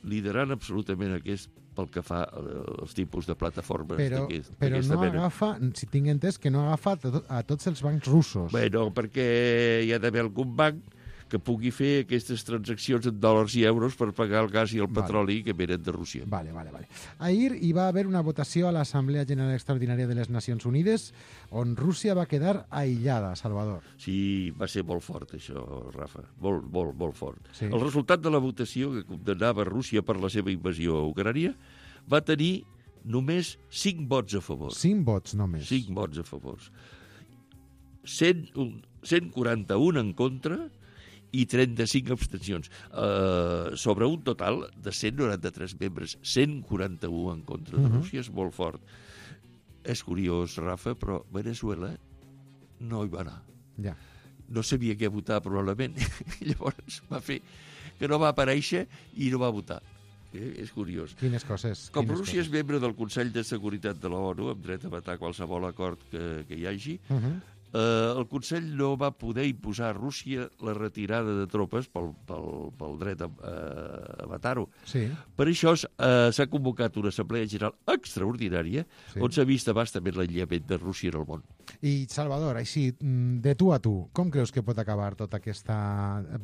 liderant absolutament aquest pel que fa als tipus de plataformes però, d'aquesta però no mena. agafa, si tinc entès, que no agafa a, to a tots els bancs russos. Bé, no, perquè hi ha d'haver algun banc que pugui fer aquestes transaccions en dòlars i euros per pagar el gas i el petroli vale. que venen de Rússia. Vale, vale, vale. Ahir hi va haver una votació a l'Assemblea General Extraordinària de les Nacions Unides on Rússia va quedar aïllada, Salvador. Sí, va ser molt fort això, Rafa, molt, molt, molt fort. Sí. El resultat de la votació que condemnava Rússia per la seva invasió a Ucrània va tenir només cinc vots a favor. Cinc vots només. Cinc vots a favor. cent, cent quaranta-un en contra i trenta-cinc abstencions. Uh, sobre un total de cent noranta-tres membres, cent quaranta-un en contra de uh-huh. Rússia, és molt fort. És curiós, Rafa, però Venezuela no hi va anar. Ja. No sabia què votar, probablement. Llavors va fer que no va aparèixer i no va votar. Eh? És curiós. Quines coses. Com quines Rússia coses. és membre del Consell de Seguretat de l'ONU, amb dret a vetar qualsevol acord que, que hi hagi, uh-huh. Uh, el Consell no va poder imposar a Rússia la retirada de tropes pel, pel, pel dret a, a vetar-ho. Sí. Per això uh, s'ha convocat una assemblea general extraordinària sí. on s'ha vist abastament l'aïllament de Rússia en el món. I, Salvador, així, de tu a tu, com creus que pot acabar tota aquesta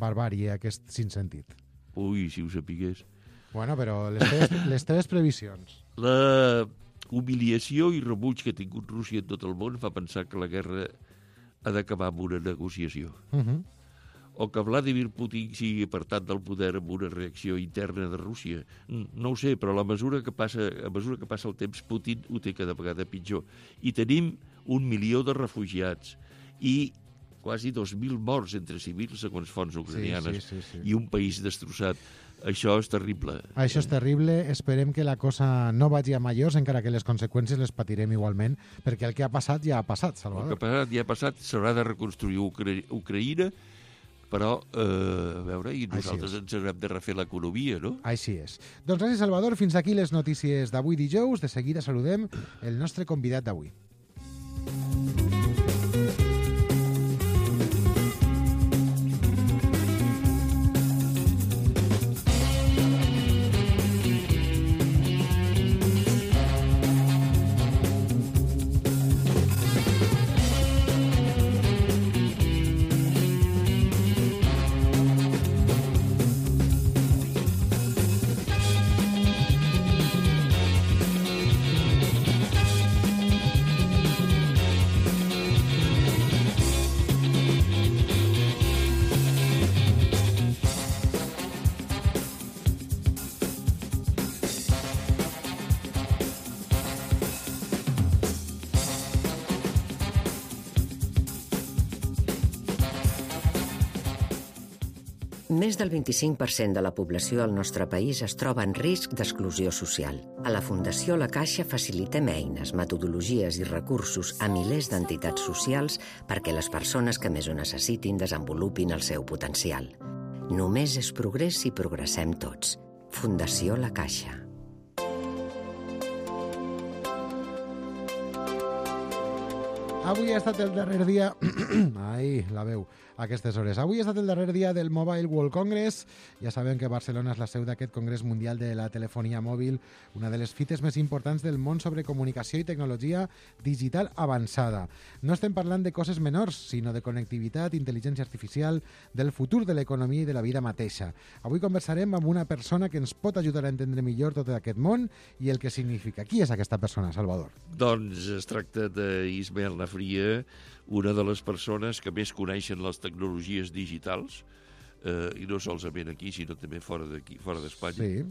barbàrie, aquest sinsentit? Ui, si ho sapigués. Bueno, però les teves, les teves previsions. La humiliació i rebuig que ha tingut Rússia en tot el món fa pensar que la guerra ha d'acabar amb una negociació. Uh-huh. O que Vladimir Putin sigui apartat del poder amb una reacció interna de Rússia. No ho sé, però a mesura que passa, a mesura que passa el temps, Putin ho té cada vegada pitjor. I tenim un milió de refugiats i quasi dos mil morts entre civils, segons fonts ucranianes, sí, sí, sí, sí. i un país destrossat. Això és terrible. Això és terrible. Esperem que la cosa no vagi a majors, encara que les conseqüències les patirem igualment, perquè el que ha passat ja ha passat, Salvador. El que ha passat ja ha passat, s'haurà de reconstruir Ucra Ucraïna, però, eh, a veure, i nosaltres ens haurem de refer l'economia, no? Així és. Doncs gràcies, Salvador. Fins aquí les notícies d'avui dijous. De seguida saludem el nostre convidat d'avui. Més del vint-i-cinc per cent de la població al nostre país es troba en risc d'exclusió social. A la Fundació La Caixa facilitem eines, metodologies i recursos a milers d'entitats socials perquè les persones que més ho necessitin desenvolupin el seu potencial. Només és progrés si progressem tots. Fundació La Caixa. Avui ha estat el darrer dia... Ai, la veu, a aquestes hores. Avui ha estat el darrer dia del Mobile World Congress. Ja sabem que Barcelona és la seu d'aquest Congrés Mundial de la Telefonia Mòbil, una de les fites més importants del món sobre comunicació i tecnologia digital avançada. No estem parlant de coses menors, sinó de connectivitat, intel·ligència artificial, del futur de l'economia i de la vida mateixa. Avui conversarem amb una persona que ens pot ajudar a entendre millor tot aquest món i el que significa. Qui és aquesta persona, Salvador? Doncs es tracta d'Ismael Nafria, una de les persones que més coneixen les tecnologies digitals, eh, i no solament aquí, sinó també fora d'aquí, fora d'Espanya. Sí.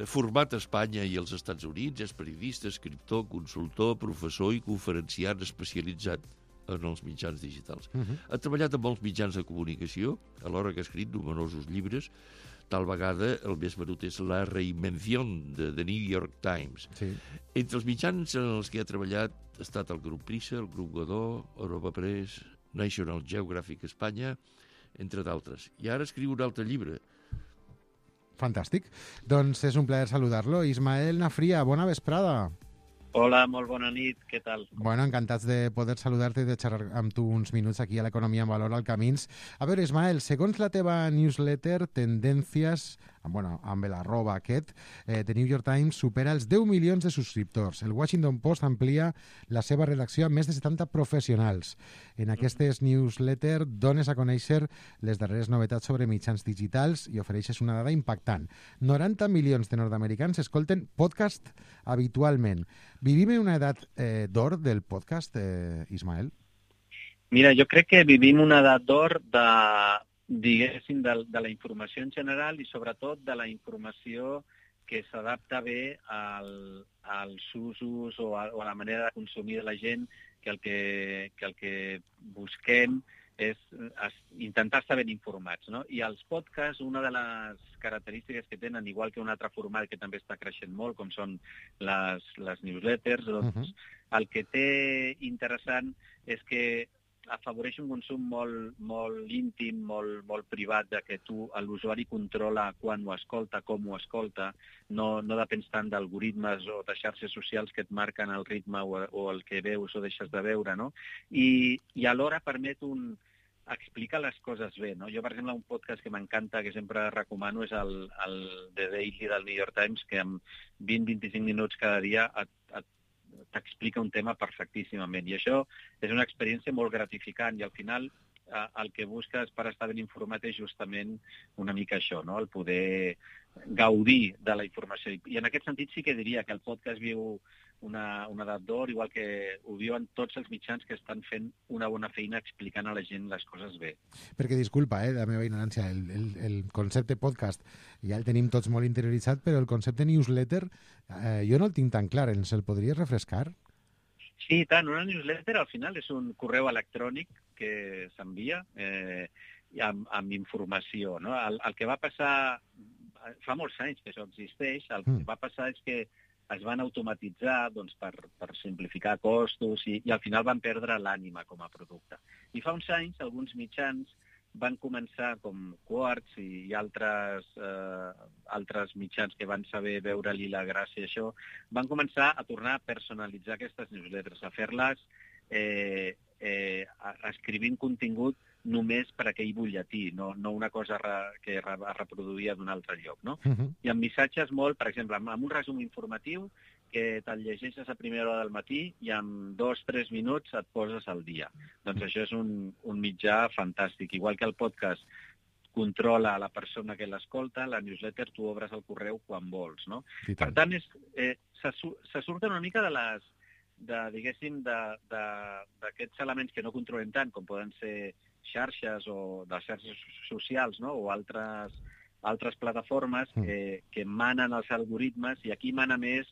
format a Espanya i als Estats Units, és periodista, escriptor, consultor, professor i conferenciant especialitzat en els mitjans digitals. Uh-huh. Ha treballat en molts mitjans de comunicació, alhora que ha escrit numerosos llibres. Tal vegada el més venut és La Reinvenció de The New York Times. Sí. Entre els mitjans en els que ha treballat ha estat el Grup Prisa, el Grup Godó, Europa Press, National Geographic Espanya, entre d'altres. I ara escriu un altre llibre. Fantàstic. Doncs és un plaer saludar-lo. Ismael Nafria, bona vesprada. Hola, molt bona nit, què tal? Bueno, encantats de poder saludar-te i de xerrar amb tu uns minuts aquí a l'Economia en Valor al Camins. A veure, Ismael, segons la teva newsletter, Tendències, bueno, amb l'arroba aquest, eh, The New York Times supera els deu milions de subscriptors. El Washington Post amplia la seva redacció amb més de setanta professionals. En aquestes newsletter dones a conèixer les darreres novetats sobre mitjans digitals i ofereixes una dada impactant. noranta milions de nord-americans escolten podcast habitualment. Vivim en una edat eh, d'or del podcast, eh, Ismael? Mira, jo crec que vivim una edat d'or de, diguéssim, de, de la informació en general i sobretot de la informació que s'adapta bé al, als usos o a, o a la manera de consumir de la gent, que el que, que, el que busquem és intentar estar ben informats, no? I els podcasts, una de les característiques que tenen, igual que un altre format que també està creixent molt, com són les, les newsletters, doncs uh-huh. el que té interessant és que afavoreix un consum molt, molt íntim, molt, molt privat, de que tu, l'usuari controla quan ho escolta, com ho escolta, no, no depens tant d'algoritmes o de xarxes socials que et marquen el ritme o, o el que veus o deixes de veure, no? I, i alhora permet un explica les coses bé, no? Jo, per exemple, un podcast que m'encanta, que sempre recomano, és el, el The Daily del New York Times, que amb vint a vint-i-cinc minuts cada dia et, et, t'explica un tema perfectíssimament. I això és una experiència molt gratificant i al final eh, el que busques per estar ben informat és justament una mica això, no? El poder gaudir de la informació. I en aquest sentit sí que diria que el podcast viu una, una edat d'or, igual que ho viuen tots els mitjans que estan fent una bona feina explicant a la gent les coses bé. Perquè, disculpa, eh, la meva ignorància, el, el, el concepte podcast ja el tenim tots molt interioritzat, però el concepte newsletter eh, jo no el tinc tan clar. Ens el podries refrescar? Sí, tant. Una newsletter al final és un correu electrònic que s'envia eh, amb, amb informació, no? El, el que va passar... Fa molts anys que això existeix. El que va passar és que es van automatitzar doncs, per, per simplificar costos i, i al final van perdre l'ànima com a producte. I fa uns anys alguns mitjans van començar, com Quartz i, i altres, eh, altres mitjans que van saber veure-li la gràcia a això, van començar a tornar a personalitzar aquestes newsletters, a fer-les eh, eh, escrivint contingut només per aquell butlletí, no, no una cosa re, que es reproduïa d'un altre lloc, no? Uh-huh. I amb missatges molt, per exemple, amb un resum informatiu que te'l llegeixes a primera hora del matí i en dos o tres minuts et poses al dia. Doncs això és un, un mitjà fantàstic. Igual que el podcast controla la persona que l'escolta, la newsletter tu obres el correu quan vols, no? Per tant, és, eh, se, se surten una mica de les de, diguéssim, d'aquests elements que no controlem tant, com poden ser xarxes o de xarxes socials, no? O altres, altres plataformes que, que manen els algoritmes, i aquí mana més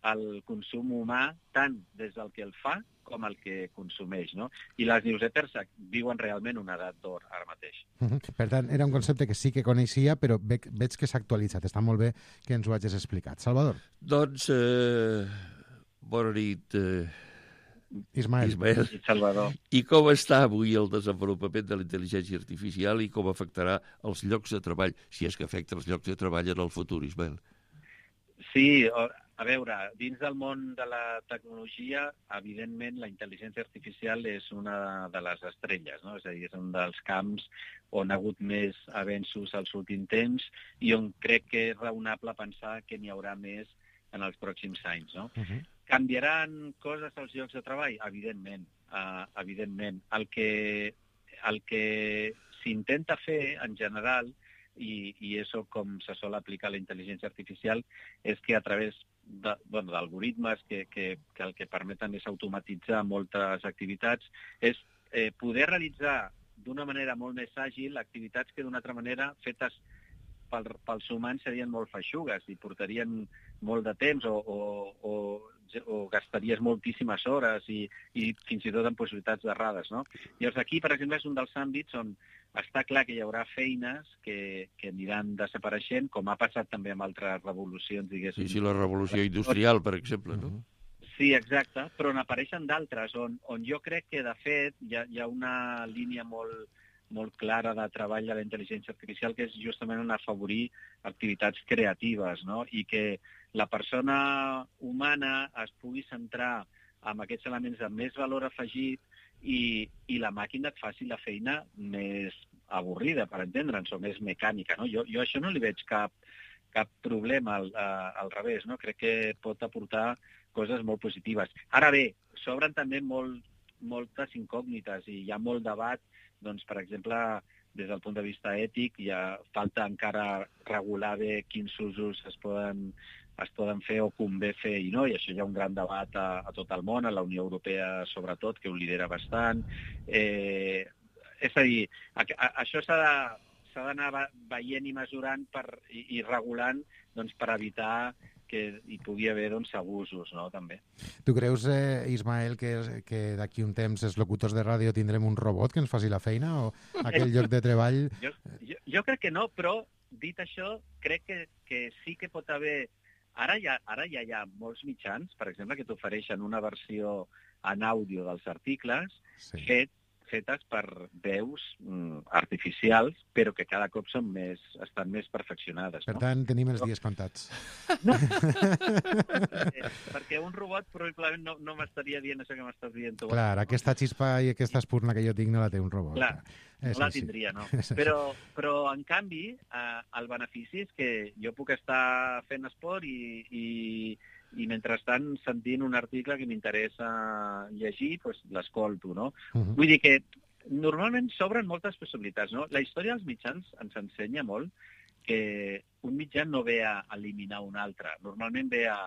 el consum humà, tant des del que el fa com el que consumeix, no? I les newsletters viuen realment una edat d'or ara mateix. Uh-huh. Per tant, era un concepte que sí que coneixia, però veig, veig que s'ha actualitzat. Està molt bé que ens ho hagis explicat. Salvador? Doncs, eh, bona nit, eh, Ismael. Ismael. I Salvador. I com està avui el desenvolupament de la intel·ligència artificial i com afectarà els llocs de treball, si és que afecta els llocs de treball en el futur, Ismael? Sí, a veure, dins del món de la tecnologia, evidentment, la intel·ligència artificial és una de les estrelles, no? És a dir, és un dels camps on ha hagut més avenços als últims temps i on crec que és raonable pensar que n'hi haurà més en els pròxims anys, no? Uh-huh. Canviaran coses als llocs de treball? Evidentment, uh, evidentment. El que, el que s'intenta fer, en general, i, i això com se sol aplicar la intel·ligència artificial, és que a través de, bueno, d'algoritmes que, que, que el que permeten és automatitzar moltes activitats, és eh, poder realitzar d'una manera molt més àgil activitats que d'una altra manera fetes pel, pels humans serien molt feixugues i portarien molt de temps o, o, o, o gastaries moltíssimes hores i, i fins i tot amb possibilitats d'errades, no? Llavors aquí, per exemple, és un dels àmbits on està clar que hi haurà feines que, que aniran desapareixent, com ha passat també amb altres revolucions, diguéssim. Sí, sí, la revolució industrial, per exemple, no? Sí, exacte, però n'apareixen d'altres, on, on jo crec que, de fet, hi ha, hi ha una línia molt, molt clara de treball de la intel·ligència artificial, que és justament en afavorir activitats creatives, no? I que la persona humana es pugui centrar en aquests elements de més valor afegit i, i la màquina et faci la feina més avorrida, per entendre'ns, o més mecànica, no? Jo, jo això no li veig cap, cap problema al, a, al revés, no? Crec que pot aportar coses molt positives. Ara bé, s'obren també molt, moltes incògnites i hi ha molt debat, doncs, per exemple, des del punt de vista ètic, ja falta encara regular bé quins usos es poden, es poden fer o convé fer i no, i això hi ha un gran debat a, a tot el món, a la Unió Europea sobretot, que ho lidera bastant. Eh, és a dir, a, a, això s'ha de, s'ha d'anar veient i mesurant per, i, i regulant, doncs, per evitar que hi pugui haver, doncs, abusos, no?, també. Tu creus, eh, Ismael, que, que d'aquí un temps els locutors de ràdio tindrem un robot que ens faci la feina o aquell lloc de treball? Jo, jo, jo crec que no, però, dit això, crec que, que sí que pot haver... Ara ja, ara ja hi ha molts mitjans, per exemple, que t'ofereixen una versió en àudio dels articles, sí, fet fetes per veus mm, artificials, però que cada cop són més, estan més perfeccionades. Per no? tant, tenim els dies comptats. No. Perquè un robot probablement no, no m'estaria dient això que m'estàs dient tu. Clar, aquesta xispa i aquesta espurna que jo tinc no la té un robot. Clar, és no la així. tindria, no. Però, però en canvi, eh, el benefici és que jo puc estar fent esport i... i i mentrestant sentint un article que m'interessa llegir, doncs l'escolto, no? Uh-huh. Vull dir que normalment s'obren moltes possibilitats, no? La història dels mitjans ens ensenya molt que un mitjà no ve a eliminar un altre, normalment ve a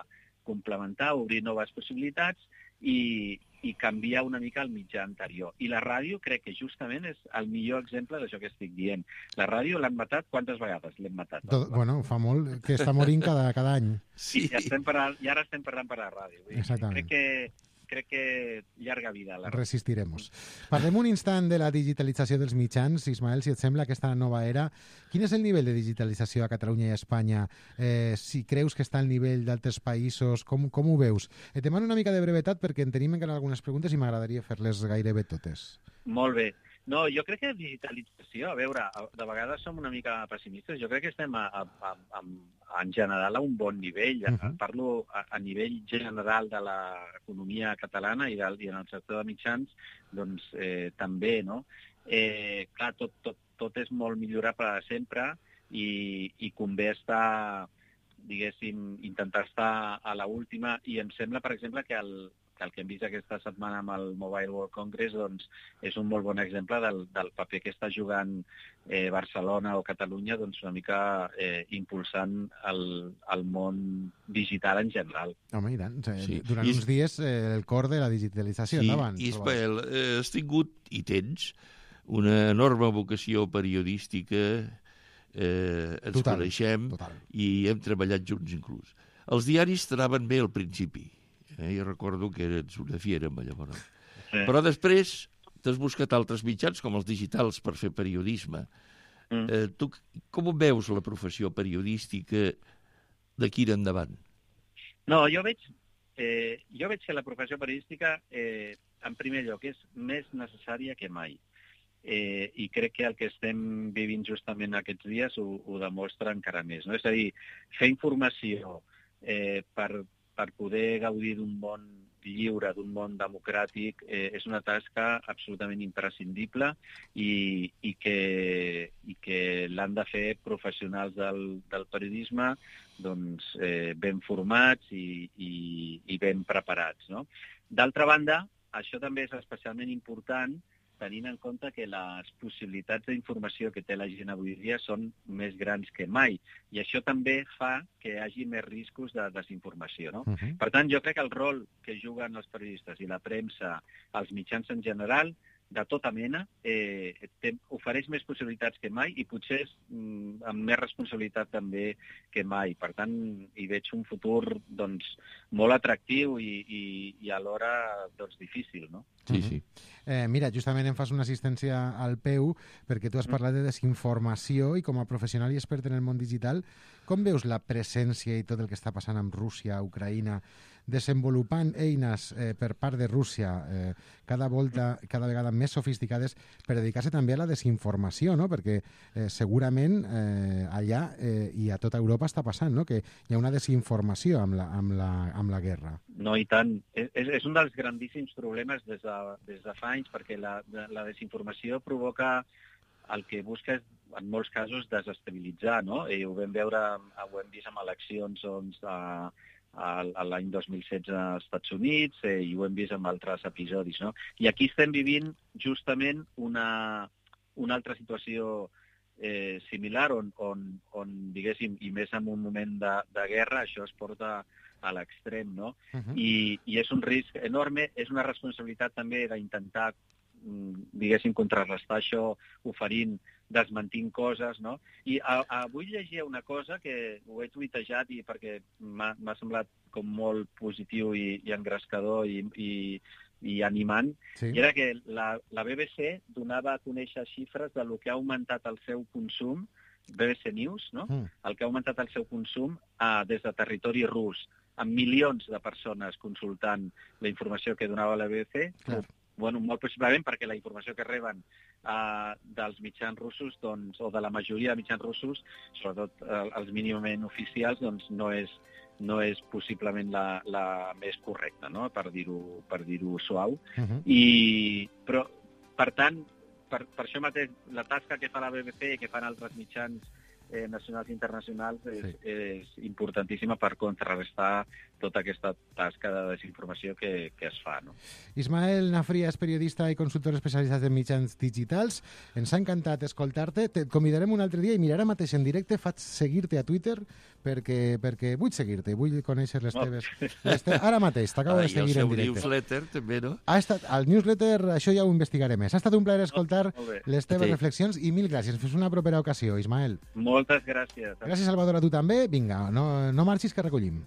complementar, obrir noves possibilitats i, i canviar una mica el mitjà anterior. I la ràdio crec que justament és el millor exemple d'això que estic dient. La ràdio l'han matat quantes vegades l'hem matat? Tot, bueno, fa molt que està morint cada, cada any. Sí. I, ja estem parlant, I ara estem parlant per la ràdio. Vull dir, exactament. Crec que crec que llarga vida. La Resistiremos. Parlem un instant de la digitalització dels mitjans. Ismael, si et sembla, aquesta nova era. Quin és el nivell de digitalització a Catalunya i a Espanya? Eh, si creus que està al nivell d'altres països, com, com ho veus? Et demano una mica de brevetat perquè en tenim encara algunes preguntes i m'agradaria fer-les gairebé totes. Molt bé. No, jo crec que digitalització, a veure, de vegades som una mica pessimistes, jo crec que estem a, a, a, a, en general a un bon nivell, uh-huh. Parlo a, a nivell general de l'economia catalana i, del, i en el sector de mitjans, doncs eh, també, no? Eh, clar, tot, tot, tot és molt millorable sempre i, i convé estar, diguéssim, intentar estar a l'última i em sembla, per exemple, que el que el que hem vist aquesta setmana amb el Mobile World Congress doncs, és un molt bon exemple del, del paper que està jugant eh, Barcelona o Catalunya doncs, una mica eh, impulsant el, el món digital en general. Home, i tant. Sí. Durant I... uns dies eh, el cor de la digitalització. Sí, endavant, i Ismael, eh, has tingut i tens una enorme vocació periodística, eh, ens total, coneixem total. I hem treballat junts inclús. Els diaris t'anaven bé al principi. Eh, jo recordo que eres una fiera amb allò, no? Sí. Però després t'has buscat altres mitjans, com els digitals, per fer periodisme. Mm. Eh, tu com veus la professió periodística d'aquí en endavant? No, jo veig, eh, jo veig que la professió periodística, eh, en primer lloc, és més necessària que mai. Eh, I crec que el que estem vivint justament aquests dies ho, ho demostra encara més. No? És a dir, fer informació eh, per per poder gaudir d'un món lliure, d'un món democràtic, eh, és una tasca absolutament imprescindible i, i que, i que l'han de fer professionals del, del periodisme doncs, eh, ben formats i, i, i ben preparats. No? D'altra banda, això també és especialment important tenint en compte que les possibilitats d'informació que té la gent avui dia són més grans que mai. I això també fa que hi hagi més riscos de desinformació. No? Uh-huh. Per tant, jo crec que el rol que juguen els periodistes i la premsa, els mitjans en general, de tota mena, eh, té, ofereix més possibilitats que mai i potser mm, amb més responsabilitat també que mai. Per tant, hi veig un futur doncs, molt atractiu i, i, i alhora doncs, difícil, no? Sí, sí. Eh, mira, justament em fas una assistència al P E U perquè tu has parlat de desinformació i com a professional i expert en el món digital, com veus la presència i tot el que està passant amb Rússia, Ucraïna, desenvolupant eines eh, per part de Rússia eh, cada volta, cada vegada més sofisticades per dedicar-se també a la desinformació, no? Perquè eh, segurament eh, allà eh, i a tota Europa està passant, no? Que hi ha una desinformació amb la, amb la, amb la guerra. No, i tant. És, és un dels grandíssims problemes des de, des de fa anys, perquè la, la desinformació provoca el que busca és, en molts casos, desestabilitzar, no? I ho vam veure, ho hem vist amb eleccions doncs, a, a l'any dos mil setze als Estats Units eh, i ho hem vist amb altres episodis, no? I aquí estem vivint justament una, una altra situació eh, similar on, on, on, diguéssim, i més en un moment de, de guerra, això es porta a l'extrem, no? Uh-huh. I, I és un risc enorme, és una responsabilitat també d'intentar, diguéssim, contrarrestar això oferint, desmentint coses, no? I a, a, avui llegia una cosa que ho he tuitejat i perquè m'ha semblat com molt positiu i, i engrescador i, i, i animant, sí. I era que la, la B B C donava a conèixer xifres de lo que ha augmentat el seu consum, B B C News, no? Mm. El que ha augmentat el seu consum eh, des de territori rus, amb milions de persones consultant la informació que donava la B B C, clar. Bueno, molt possiblement perquè la informació que reben uh, dels mitjans russos, doncs, o de la majoria de mitjans russos, sobretot uh, els mínimament oficials, doncs no és, no és possiblement la, la més correcta, no? Per dir-ho per dir-ho suau. Uh-huh. I, però, per tant, per, per això mateix, la tasca que fa la B B C i que fan altres mitjans eh, nacionals i internacionals és, sí. és importantíssima per contrarrestar tota aquesta tasca de desinformació que, que es fa. No? Ismael Nafria és periodista i consultor especialitzat en mitjans digitals. Ens ha encantat escoltar-te. Et convidarem un altre dia i mira, ara mateix en directe faig seguir-te a Twitter perquè, perquè vull seguir-te, vull conèixer les teves... Les te... Ara mateix, t'acabo de seguir en directe. I el seu newsletter també, no? Ha estat, el newsletter, això ja ho investigaré més. Ha estat un plaer escoltar les teves sí. reflexions i mil gràcies. Fins una propera ocasió, Ismael. Moltes gràcies. Gràcies, Salvador, a tu també. Vinga, no, no marxis que recollim.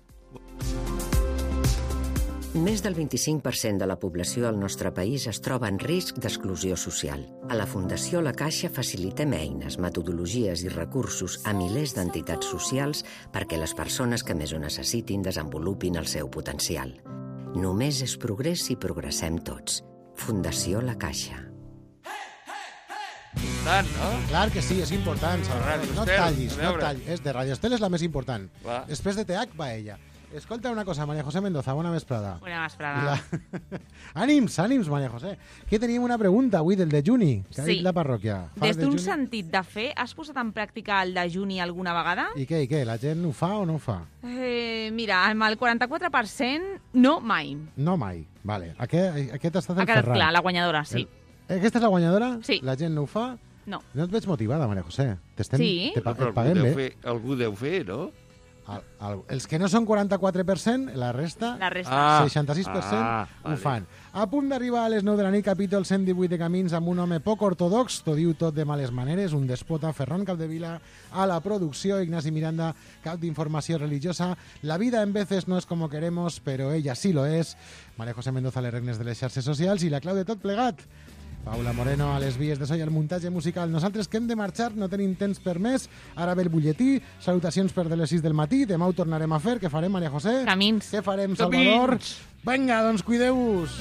Més del vint-i-cinc per cent de la població al nostre país es troba en risc d'exclusió social. A la Fundació La Caixa facilitem eines, metodologies i recursos a milers d'entitats socials perquè les persones que més ho necessitin desenvolupin el seu potencial. Només és progrés si progressem tots. Fundació La Caixa. Tant, no? Clar que sí, és important. No et tallis, no et tallis. És de Radio Estel és la més important. Va. Després de T H va ella. Escolta una cosa, María José Mendoza, bona vesprada. Bona vesprada. La... ànims, ànims, María José. Que teníem una pregunta avui del dejuni, que ha sí. dit la parròquia. Fas Des d'un sentit de fer, has posat en pràctica el dejuni alguna vegada? I què, i què? La gent ho fa o no ho fa? Eh, mira, amb el quaranta-quatre per cent, no mai. No mai, vale. Aquest, aquest ha estat el ha quedat Ferran. clar, la guanyadora, sí. El... Aquesta és la guanyadora? Sí. La gent no ho fa? No. No et veig motivada, María José. T'estem... Sí. Te pa... Però et paguem bé. Fer, algú deu fer, no? El, el, els que no són quaranta-quatre per cent, la resta, la resta. Ah, seixanta-sis per cent ah, ho vale. fan. A punt d'arribar a les nou de la nit, capítol cent divuit de Camins, amb un home poc ortodox, t'ho diu tot de males maneres, un despota, Ferran Capdevila, a la producció, Ignasi Miranda, cap d'informació religiosa. La vida en veces no es como queremos, pero ella sí lo es. María José Mendoza, les regnes de les xarxes socials, i la clau de tot plegat. Paula Moreno a les vies de so i al muntatge musical. Nosaltres que hem de marxar, no tenim temps per més. Ara ve el butlletí, salutacions per de les sis del matí. Demà ho tornarem a fer. Què farem, María José? Camins. Què farem, Salvador? Camins. Vinga, doncs cuideu-vos.